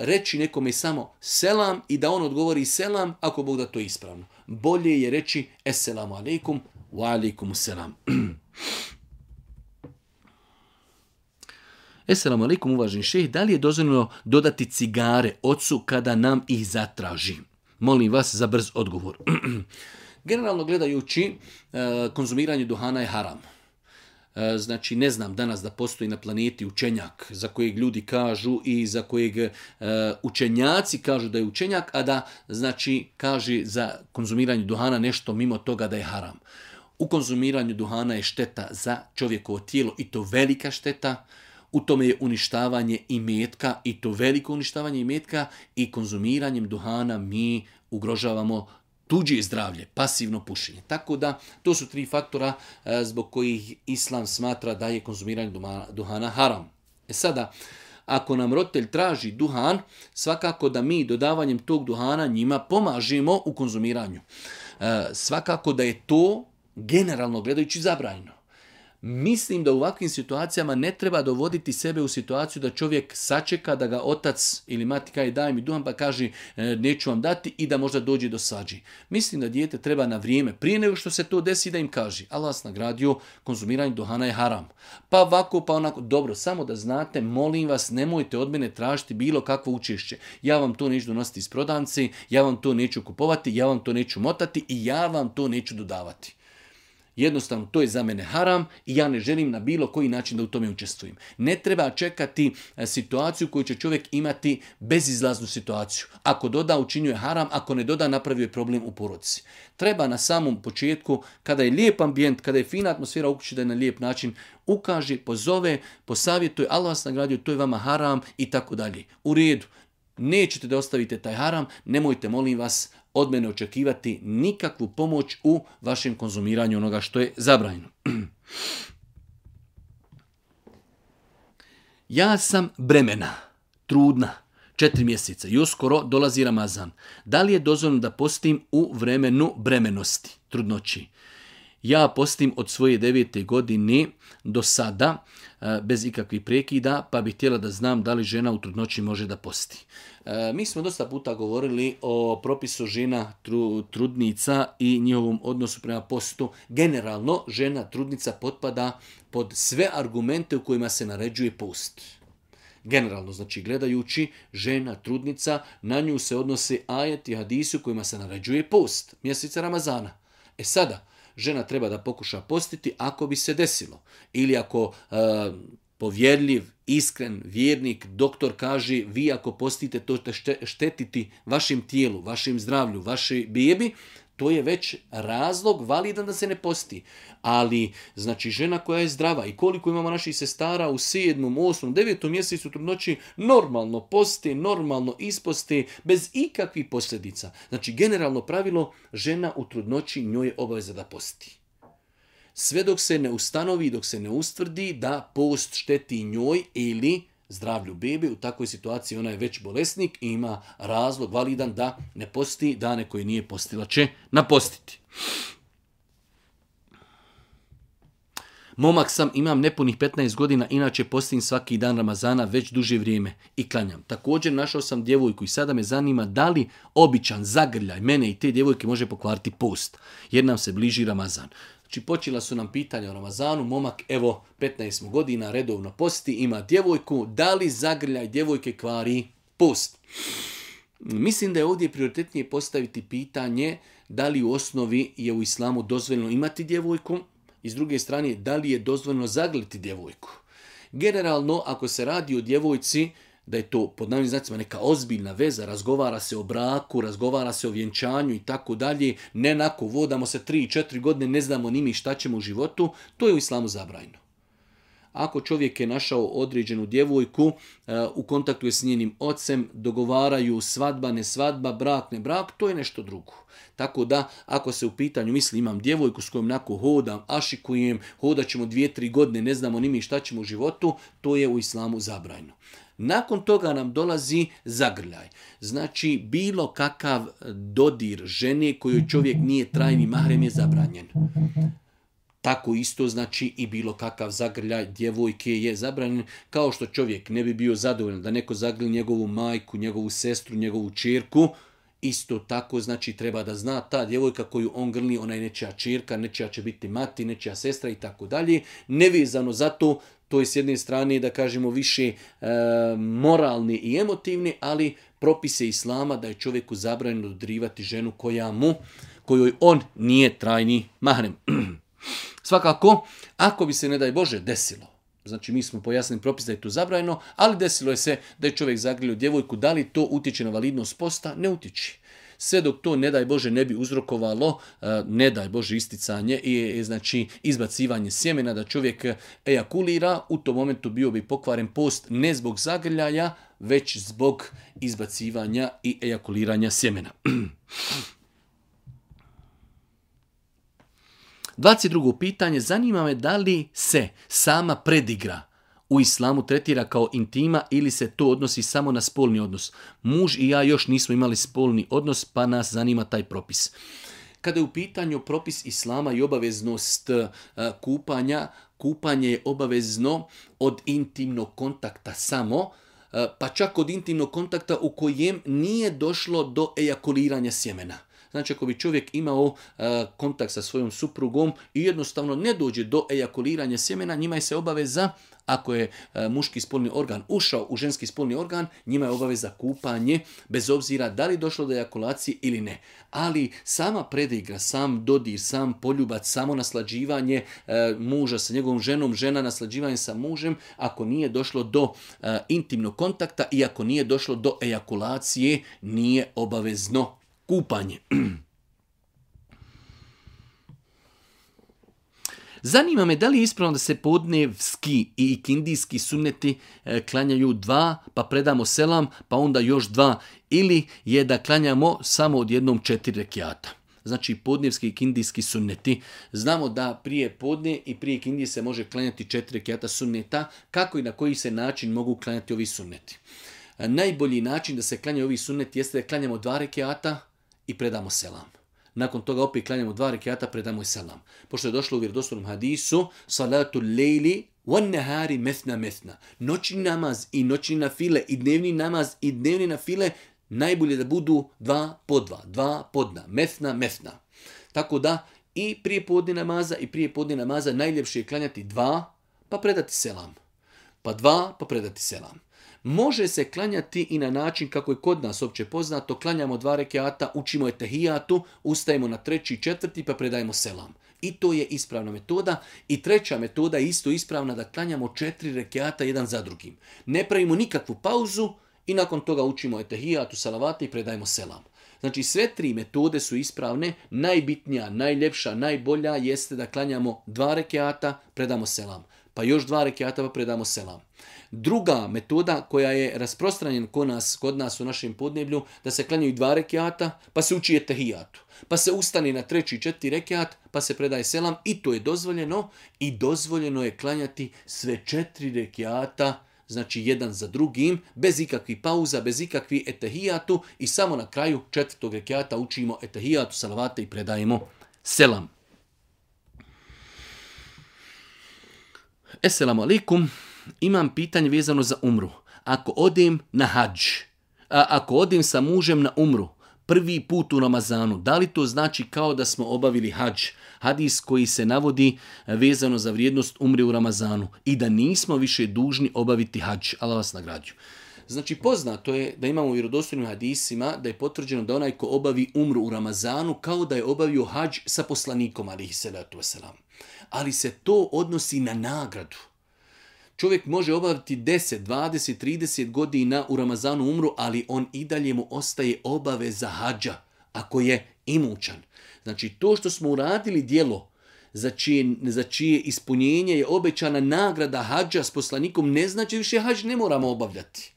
reći nekome samo selam i da on odgovori selam, ako Bog da to je ispravno. Bolje je reći esselamu alejkum wa alejkum selam. Esselamu alejkum, uvaženi šejh, da li je dozvoljeno dodati cigare ocu kada nam ih zatraži? Molim vas za brz odgovor. Generalno gledajući, konzumiranje duhana je haram. Znači, ne znam danas da postoji na planeti učenjak za kojeg ljudi kažu i za kojeg učenjaci kažu da je učenjak, a da znači kaže za konzumiranje duhana nešto mimo toga da je haram. U konzumiranju duhana je šteta za čovjekovo tijelo i to velika šteta. U tome je uništavanje imetka i to veliko uništavanje imetka i konzumiranjem duhana mi ugrožavamo tuđe zdravlje, pasivno pušenje. Tako da to su 3 faktora zbog kojih Islam smatra da je konzumiranje duhana haram. Sada, ako nam roditelj traži duhan, svakako da mi dodavanjem tog duhana njima pomažemo u konzumiranju. Svakako da je to generalno gledajući zabranjeno. Mislim da u ovakvim situacijama ne treba dovoditi sebe u situaciju da čovjek sačeka da ga otac ili mati kaže daj mi duhan pa kaže neću vam dati i da možda dođe do svađi. Mislim da dijete treba na vrijeme, prije nego što se to desi, da im kaže Allah vas nagradio, konzumiranje duhana je haram. Pa ovako, pa onako. Dobro, samo da znate, molim vas, nemojte od mene tražiti bilo kakvo učešće. Ja vam to neću donositi iz prodavnice, ja vam to neću kupovati, ja vam to neću motati i ja vam to neću dodavati. Jednostavno, to je za mene haram i ja ne želim na bilo koji način da u tome učestvujem. Ne treba čekati situaciju koju će čovjek imati bezizlaznu situaciju. Ako doda, učinjuje haram, ako ne doda, napravio je problem u porodici. Treba na samom početku, kada je lijep ambijent, kada je fina atmosfera u kući, da je na lijep način ukaže, pozove, posavjetuje, Allah vas nagradio, to je vama haram i tako dalje. U redu. Nećete da ostavite taj haram, nemojte, molim vas, od mene očekivati nikakvu pomoć u vašem konzumiranju onoga što je zabranjeno. Ja sam bremena, trudna, 4 mjeseca i uskoro dolazi Ramazan. Da li je dozvoljeno da postim u vremenu bremenosti, trudnoći? Ja postim od svoje 9. godine do sada, bez ikakvih prekida, pa bih htjela da znam da li žena u trudnoći može da posti. Mi smo dosta puta govorili o propisu žena trudnica i njihovom odnosu prema postu. Generalno, žena trudnica potpada pod sve argumente u kojima se naređuje post. Generalno, znači gledajući, žena trudnica, na nju se odnose ajeti i hadisi u kojima se naređuje post, mjeseca Ramazana. Sada, žena treba da pokuša postiti ako bi se desilo. Ili ako povjerljiv, iskren, vjernik, doktor kaže vi ako postite to ćete štetiti vašem tijelu, vašem zdravlju, vašoj bebi, to je već razlog validan da se ne posti. Ali, znači, žena koja je zdrava i koliko imamo naših sestara u 7., 8., 9. mjesecu trudnoći, normalno posti, normalno isposti, bez ikakvih posljedica. Znači, generalno pravilo, žena u trudnoći njoj je obaveza da posti. Sve dok se ne ustanovi, dok se ne ustvrdi da post šteti njoj ili zdravlju bebe, u takvoj situaciji ona je već bolesnik i ima razlog validan da ne posti, dane koje nije postila će napostiti. Momak sam, imam nepunih 15 godina, inače postim svaki dan Ramazana već duže vrijeme i klanjam. Također našao sam djevojku i sada me zanima da li običan zagrljaj mene i te djevojke može pokvariti post, jer nam se bliži Ramazan. Znači, počela su nam pitanja o Ramazanu, momak, evo, 15 godina, redovno posti, ima djevojku, da li zagrljaj djevojke kvari post? Mislim da je ovdje prioritetnije postaviti pitanje da li u osnovi je u islamu dozvoljeno imati djevojku i s druge strane da li je dozvoljeno zagrliti djevojku. Generalno, ako se radi o djevojci, da je to pod navodnim znacima neka ozbiljna veza, razgovara se o braku, razgovara se o vjenčanju i tako dalje, ne nako vodamo se 3-4 godine, ne znamo ni mi šta ćemo u životu, to je u islamu zabranjeno. Ako čovjek je našao određenu djevojku, u kontaktu je s njenim ocem, dogovaraju svadba, ne svadba, brak, ne brak, to je nešto drugo. Tako da, ako se u pitanju misli imam djevojku s kojom nako hodam, ašikujem, hodat ćemo 2-3 godine, ne znamo ni mi šta ćemo u životu, to je u islamu zabranjeno. Nakon toga nam dolazi zagrljaj. Znači, bilo kakav dodir žene kojoj čovjek nije trajni mahrem je zabranjen. Tako isto znači i bilo kakav zagrljaj djevojke je zabranjen, kao što čovjek ne bi bio zadovoljan da neko zagrli njegovu majku, njegovu sestru, njegovu ćerku, isto tako znači treba da zna ta djevojka koju on grli, ona je nečija ćerka, nečija će biti mati, nečija sestra i tako dalje. Nevezano za to, to je s jedne strane da kažemo više moralni i emotivni, ali propise islama da je čovjeku zabranjeno dodirivati ženu kojoj on nije trajni mahrem. Svakako, ako bi se, ne daj Bože, desilo, znači mi smo pojasnili propis da je to zabranjeno, ali desilo je se da je čovjek zagrlio djevojku, da li to utječe na validnost posta? Ne utječe. Sve dok to, ne daj Bože, ne bi uzrokovalo, ne daj Bože, isticanje i znači izbacivanje sjemena, da čovjek ejakulira, u tom momentu bio bi pokvaren post ne zbog zagrljaja, već zbog izbacivanja i ejakuliranja sjemena. 22. pitanje, zanima me da li se sama predigra u islamu tretira kao intima ili se to odnosi samo na spolni odnos. Muž i ja još nismo imali spolni odnos, pa nas zanima taj propis. Kada je u pitanju propis islama i obaveznost kupanja, kupanje je obavezno od intimnog kontakta samo, pa čak od intimnog kontakta u kojem nije došlo do ejakuliranja sjemena. Znači, ako bi čovjek imao kontakt sa svojom suprugom i jednostavno ne dođe do ejakuliranja sjemena, njima je se obaveza, ako je muški spolni organ ušao u ženski spolni organ, njima je obaveza kupanje, bez obzira da li došlo do ejakulacije ili ne. Ali sama predigra, sam dodir, sam poljubac, samo naslađivanje muža sa njegovom ženom, žena naslađivanje sa mužem, ako nije došlo do intimnog kontakta i ako nije došlo do ejakulacije, nije obavezno kupanje. Zanima me da li je ispravno da se podnevski i ikindijski sunneti klanjaju 2, pa predamo selam, pa onda još 2, ili je da klanjamo samo odjednom 4 rekiata. Znači podnevski i ikindijski sunneti. Znamo da prije podne i prije ikindije se može klanjati 4 rekiata sunneta. Kako i na koji se način mogu klanjati ovi sunneti? Najbolji način da se klanjaju ovi sunneti jeste da klanjamo 2 rekiata i predamo selam. Nakon toga opet klanjamo 2 rekiata, predamo i selam. Pošto je došlo u vjerodostojnom hadisu, salatu lejli wan nahari methna methna. Noćni namaz i noćni nafile i dnevni namaz i dnevni nafile najbolje da budu 2 po 2, 2 podna, methna methna. Tako da i prije podne namaza i prije podne namaza najljepše je klanjati 2 pa predati selam. Pa 2 pa predati selam. Može se klanjati i na način kako je kod nas opće poznato, klanjamo 2 rekiata, učimo etehijatu, ustajemo na 3. i 4. pa predajemo selam. I to je ispravna metoda. I treća metoda je isto ispravna, da klanjamo 4 rekiata jedan za drugim. Ne pravimo nikakvu pauzu i nakon toga učimo etehijatu, salavate i predajemo selam. Znači sve 3 metode su ispravne, najbitnija, najljepša, najbolja jeste da klanjamo 2 rekiata, predamo selam. Pa još 2 rekiata pa predamo selam. Druga metoda koja je rasprostranjena kod nas u našem podneblju, da se klanjaju 2 rekiata pa se uči etehijatu. Pa se ustane na 3. i 4. rekiat pa se predaje selam i to je dozvoljeno. I dozvoljeno je klanjati sve 4 rekiata, znači jedan za drugim, bez ikakvih pauza, bez ikakvih etehijatu i samo na kraju 4. rekiata učimo etehijatu, salavate i predajemo selam. Esselamu alaikum, imam pitanje vezano za umru. Ako odem na hadž, ako odem sa mužem na umru, prvi put u Ramazanu, da li to znači kao da smo obavili hadž? Hadis koji se navodi vezano za vrijednost umre u Ramazanu i da nismo više dužni obaviti hadž. Allah vas nagrađuje. Znači poznato je da imamo u vjerodostojnim hadisima da je potvrđeno da onaj ko obavi umru u Ramazanu kao da je obavio hadž sa poslanikom alejhi selatu vesselam. Ali se to odnosi na nagradu. Čovjek može obaviti 10, 20, 30 godina u Ramazanu umru, ali on i dalje mu ostaje obaveza hadža ako je imućan. Znači to što smo uradili djelo za čije ispunjenje je obećana nagrada hadža s poslanikom, ne znači više hadž ne moramo obavljati.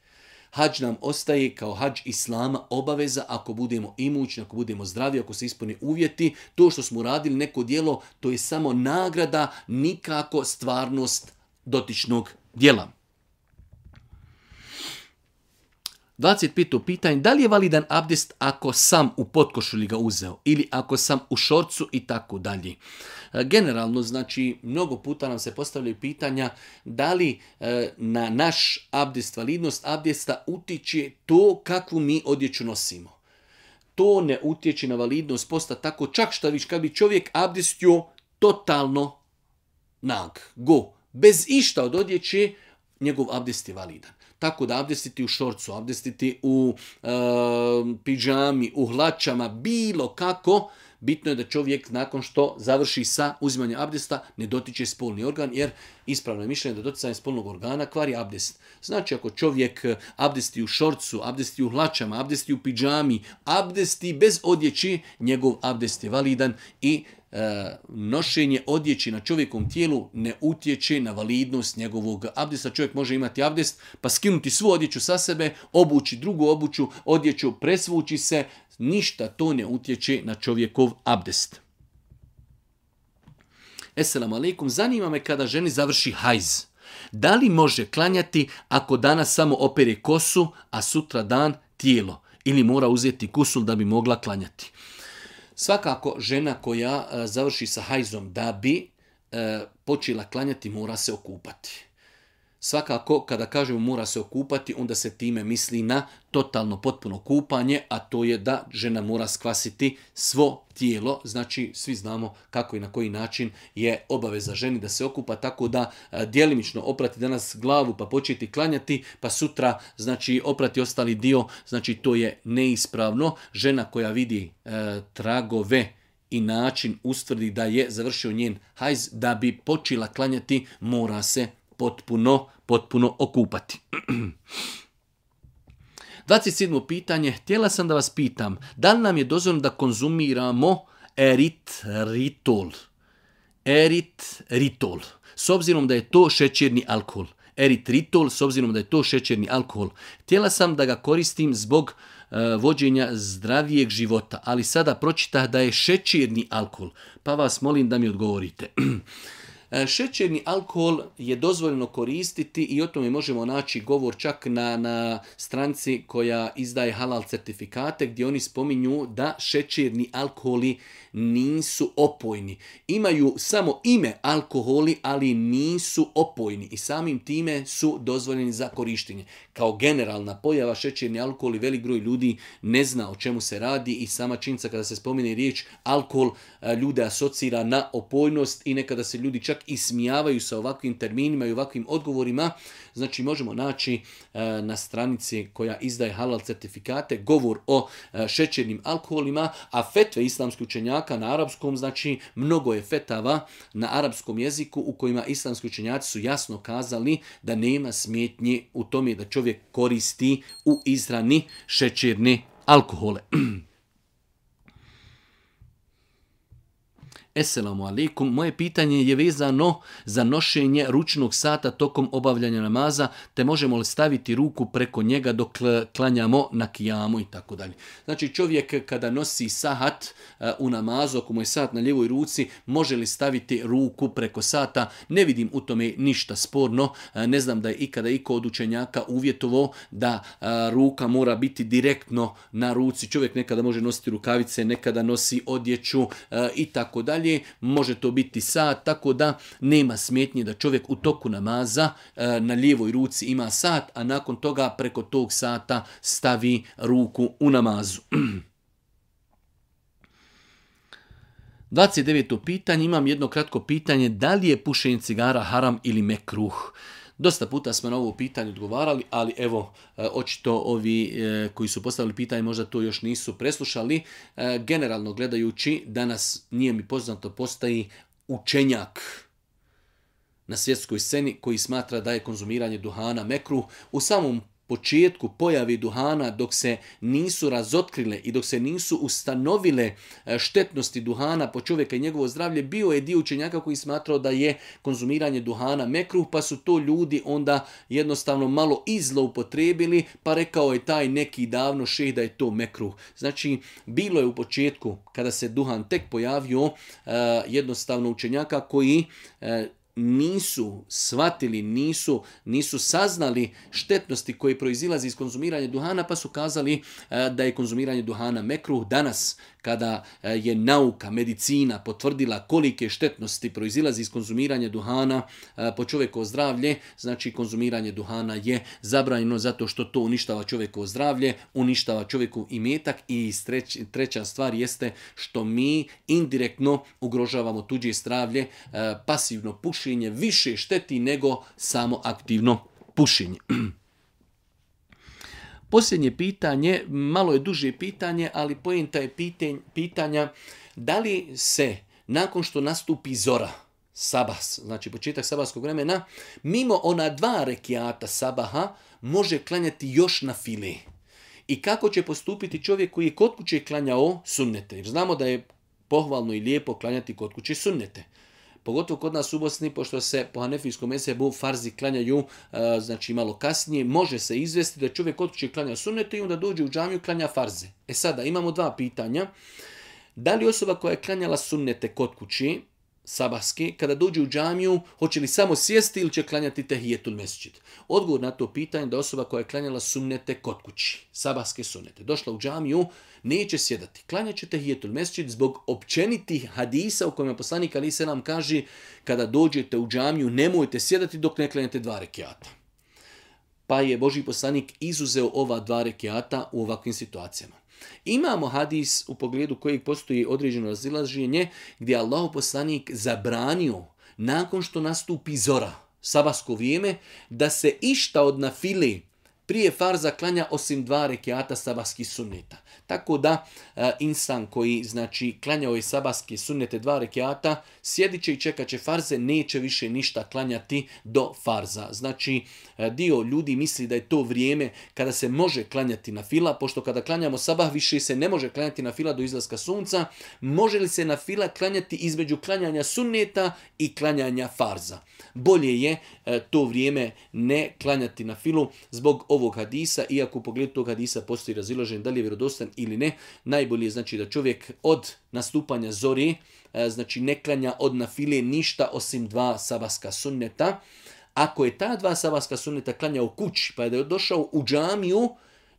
Hadž nam ostaje kao hadž islama obaveza ako budemo imućni, ako budemo zdravi, ako se ispune uvjeti. To što smo uradili neko djelo, to je samo nagrada, nikako stvarnost dotičnog djela. 25. pitanje, da li je validan abdest ako sam u potkošulji ga uzeo ili ako sam u šorcu i tako dalje. Generalno, znači, mnogo puta nam se postavljaju pitanja da li na naš abdest, validnost abdesta utiče to kakvu mi odjeću nosimo. To ne utječe na validnost posta tako, čak šta viš, kad bi čovjek abdestio totalno nag, go, bez išta od odjeće, njegov abdest je validan. Tako da abdestiti u šorcu, abdestiti u pidžami, u hlačama, bilo kako, bitno je da čovjek nakon što završi sa uzimanjem abdesta ne dotiče spolni organ, jer ispravno je mišljenje da doticanje spolnog organa kvari abdest. Znači ako čovjek abdesti u šorcu, abdesti u hlačama, abdesti u pidžami, abdesti bez odjeći, njegov abdest je validan i nošenje odjeći na čovjekom tijelu ne utječe na validnost njegovog abdesta. Čovjek može imati abdest pa skinuti svu odjeću sa sebe, obući drugu odjeću, presvući se, ništa to ne utječe na čovjekov abdest. Esselamu alaikum, zanima me kada ženi završi hajz. Da li može klanjati ako danas samo opere kosu, a sutra dan tijelo? Ili mora uzeti kusul da bi mogla klanjati? Svakako žena koja završi sa hajzom da bi počela klanjati mora se okupati. Svakako kada kažemo mora se okupati, onda se time misli na totalno potpuno kupanje, a to je da žena mora skvasiti svo tijelo. Znači svi znamo kako i na koji način je obaveza ženi da se okupa, tako da djelimično oprati danas glavu pa početi klanjati, pa sutra znači oprati ostali dio, znači to je neispravno. Žena koja vidi tragove i način ustvrdi da je završio njen hajz, da bi počela klanjati mora se potpuno okupati. 27. pitanje. Htjela sam da vas pitam, da li nam je dozvoljeno da konzumiramo eritritol? Eritritol. S obzirom da je to šećerni alkohol. Eritritol, s obzirom da je to šećerni alkohol. Htjela sam da ga koristim zbog vođenja zdravijeg života, ali sada pročitah da je šećerni alkohol, pa vas molim da mi odgovorite. Šećerni alkohol je dozvoljeno koristiti i o tome možemo naći govor čak na stranci koja izdaje halal certifikate gdje oni spominju da šećerni alkoholi nisu opojni. Imaju samo ime alkoholi, ali nisu opojni i samim time su dozvoljeni za korištenje. Kao generalna pojava šećerni alkohol i velik broj ljudi ne zna o čemu se radi i sama činjenica kada se spomene riječ alkohol ljude asocira na opojnost i nekada se ljudi čak ismijavaju sa ovakvim terminima i ovakvim odgovorima. Znači možemo naći na stranici koja izdaje halal certifikate govor o šećernim alkoholima, a fetve islamskih učenjaka na arapskom, znači mnogo je fetava na arapskom jeziku u kojima islamski učenjaci su jasno kazali da nema smetnje u tome da čovjek koristi u izrani šećerne alkohole. Esselamu alaikum, moje pitanje je vezano za nošenje ručnog sata tokom obavljanja namaza, te možemo li staviti ruku preko njega dok klanjamo na kijamu i tako dalje. Znači čovjek kada nosi sahat u namazu, ako mu je sat na lijevoj ruci, može li staviti ruku preko sata? Ne vidim u tome ništa sporno. Ne znam da je ikada iko od učenjaka uvjetovao da ruka mora biti direktno na ruci. Čovjek nekada može nositi rukavice, nekada nosi odjeću i tako dalje. Može to biti sat, tako da nema smetnje da čovjek u toku namaza na lijevoj ruci ima sat, a nakon toga preko tog sata stavi ruku u namazu. 29. pitanje, imam jedno kratko pitanje, da li je pušenje cigara haram ili mekruh? Dosta puta smo na ovo pitanje odgovarali, ali evo, očito ovi koji su postavili pitanje možda to još nisu preslušali. Generalno gledajući, danas nije mi poznato postoji učenjak na svjetskoj sceni koji smatra da je konzumiranje duhana mekruh. U samom početku pojave duhana, dok se nisu razotkrile i dok se nisu ustanovile štetnosti duhana po čovjeka i njegovo zdravlje, bio je dio učenjaka koji smatrao da je konzumiranje duhana mekruh, pa su to ljudi onda jednostavno malo izloupotrebili, pa rekao je taj neki davno šejh da je to mekruh. Znači, bilo je u početku, kada se duhan tek pojavio, jednostavno učenjaka koji nisu shvatili, nisu saznali štetnosti koje proizilazi iz konzumiranja duhana, pa su kazali da je konzumiranje duhana mekruh. Danas, kada je nauka, medicina potvrdila kolike štetnosti proizilazi iz konzumiranja duhana po čovjekovo zdravlje, znači konzumiranje duhana je zabranjeno zato što to uništava čovjekovo zdravlje, uništava čovjekov imetak i treća stvar jeste što mi indirektno ugrožavamo tuđe zdravlje. Pasivno pušenje više šteti nego samo aktivno pušenje. Posljednje pitanje, malo je duže pitanje, ali poenta je pitanja da li se nakon što nastupi zora, sabah, znači početak sabahskog vremena, mimo ona 2 rekiata sabaha može klanjati još na file. I kako će postupiti čovjek koji je kod kuće klanjao sunnete? Jer znamo da je pohvalno i lijepo klanjati kod kuće sunnete. Pogotovo kod nas u Bosni, pošto se po hanefijskom mezhebu farzi klanjaju znači malo kasnije, može se izvesti da čovjek kod kuće klanja sunnete i onda dođe u džamiju klanja farze. Sada imamo 2 pitanja. Da li osoba koja je klanjala sunnete kod kuće, sabahske, kada dođe u džamiju, hoće li samo sjesti ili će klanjati tehijetul mesdžid? Odgovor na to pitanje da osoba koja je klanjala sunnete kod kući, sabahske sunnete, došla u džamiju, neće sjedati. Klanjat će tehijetul mesdžid zbog općenitih hadisa u kojima poslanik alejhi selam kaže kada dođete u džamiju nemojte sjedati dok ne klanjate 2 rekiata. Pa je Božji poslanik izuzeo ova 2 rekiata u ovakvim situacijama. Imamo hadis u pogledu kojeg postoji određeno razilaženje gdje Allahov poslanik zabranio nakon što nastupi zora, sabahsko vrijeme, da se išta od nafile prije farza klanja osim 2 rekiata sabahskih sunneta. Tako da insan koji znači klanjao je sabahske sunnete 2 rekiata, sjedit će i čekat će farze, neće više ništa klanjati do farza. Znači dio ljudi misli da je to vrijeme kada se može klanjati na fila, pošto kada klanjamo sabah više se ne može klanjati na fila do izlaska sunca. Može li se na fila klanjati između klanjanja sunneta i klanjanja farza? Bolje je to vrijeme ne klanjati na filu zbog ovog hadisa, iako u pogledu tog hadisa postoji razilaženje da li je vjerodostan ili ne. Najbolje je znači da čovjek od nastupanja zori znači ne klanja od nafile ništa osim 2 sabahska sunneta. Ako je ta 2 sabahska sunneta klanja u kući pa je došao u džamiju,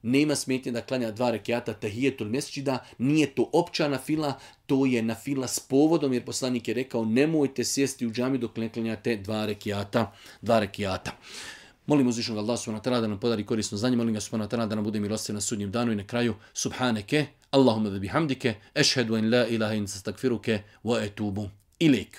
nema smetnje da klanja 2 rekiata tehijetul mesdžida, nije to opća nafila, to je nafila s povodom, jer poslanik je rekao nemojte sjesti u džamiju dok ne klanjate 2 rekiata. Molim uzvišenog Allah subhanahu wa ta'ala da nam podari korisno znanje, molim ga subhanahu wa ta'ala da nam bude milostiv na sudnjem danu i na kraju subhaneke, Allahumma da bihamdike, ešhedu en la ilaha in sastagfiruke wa etubu ilik.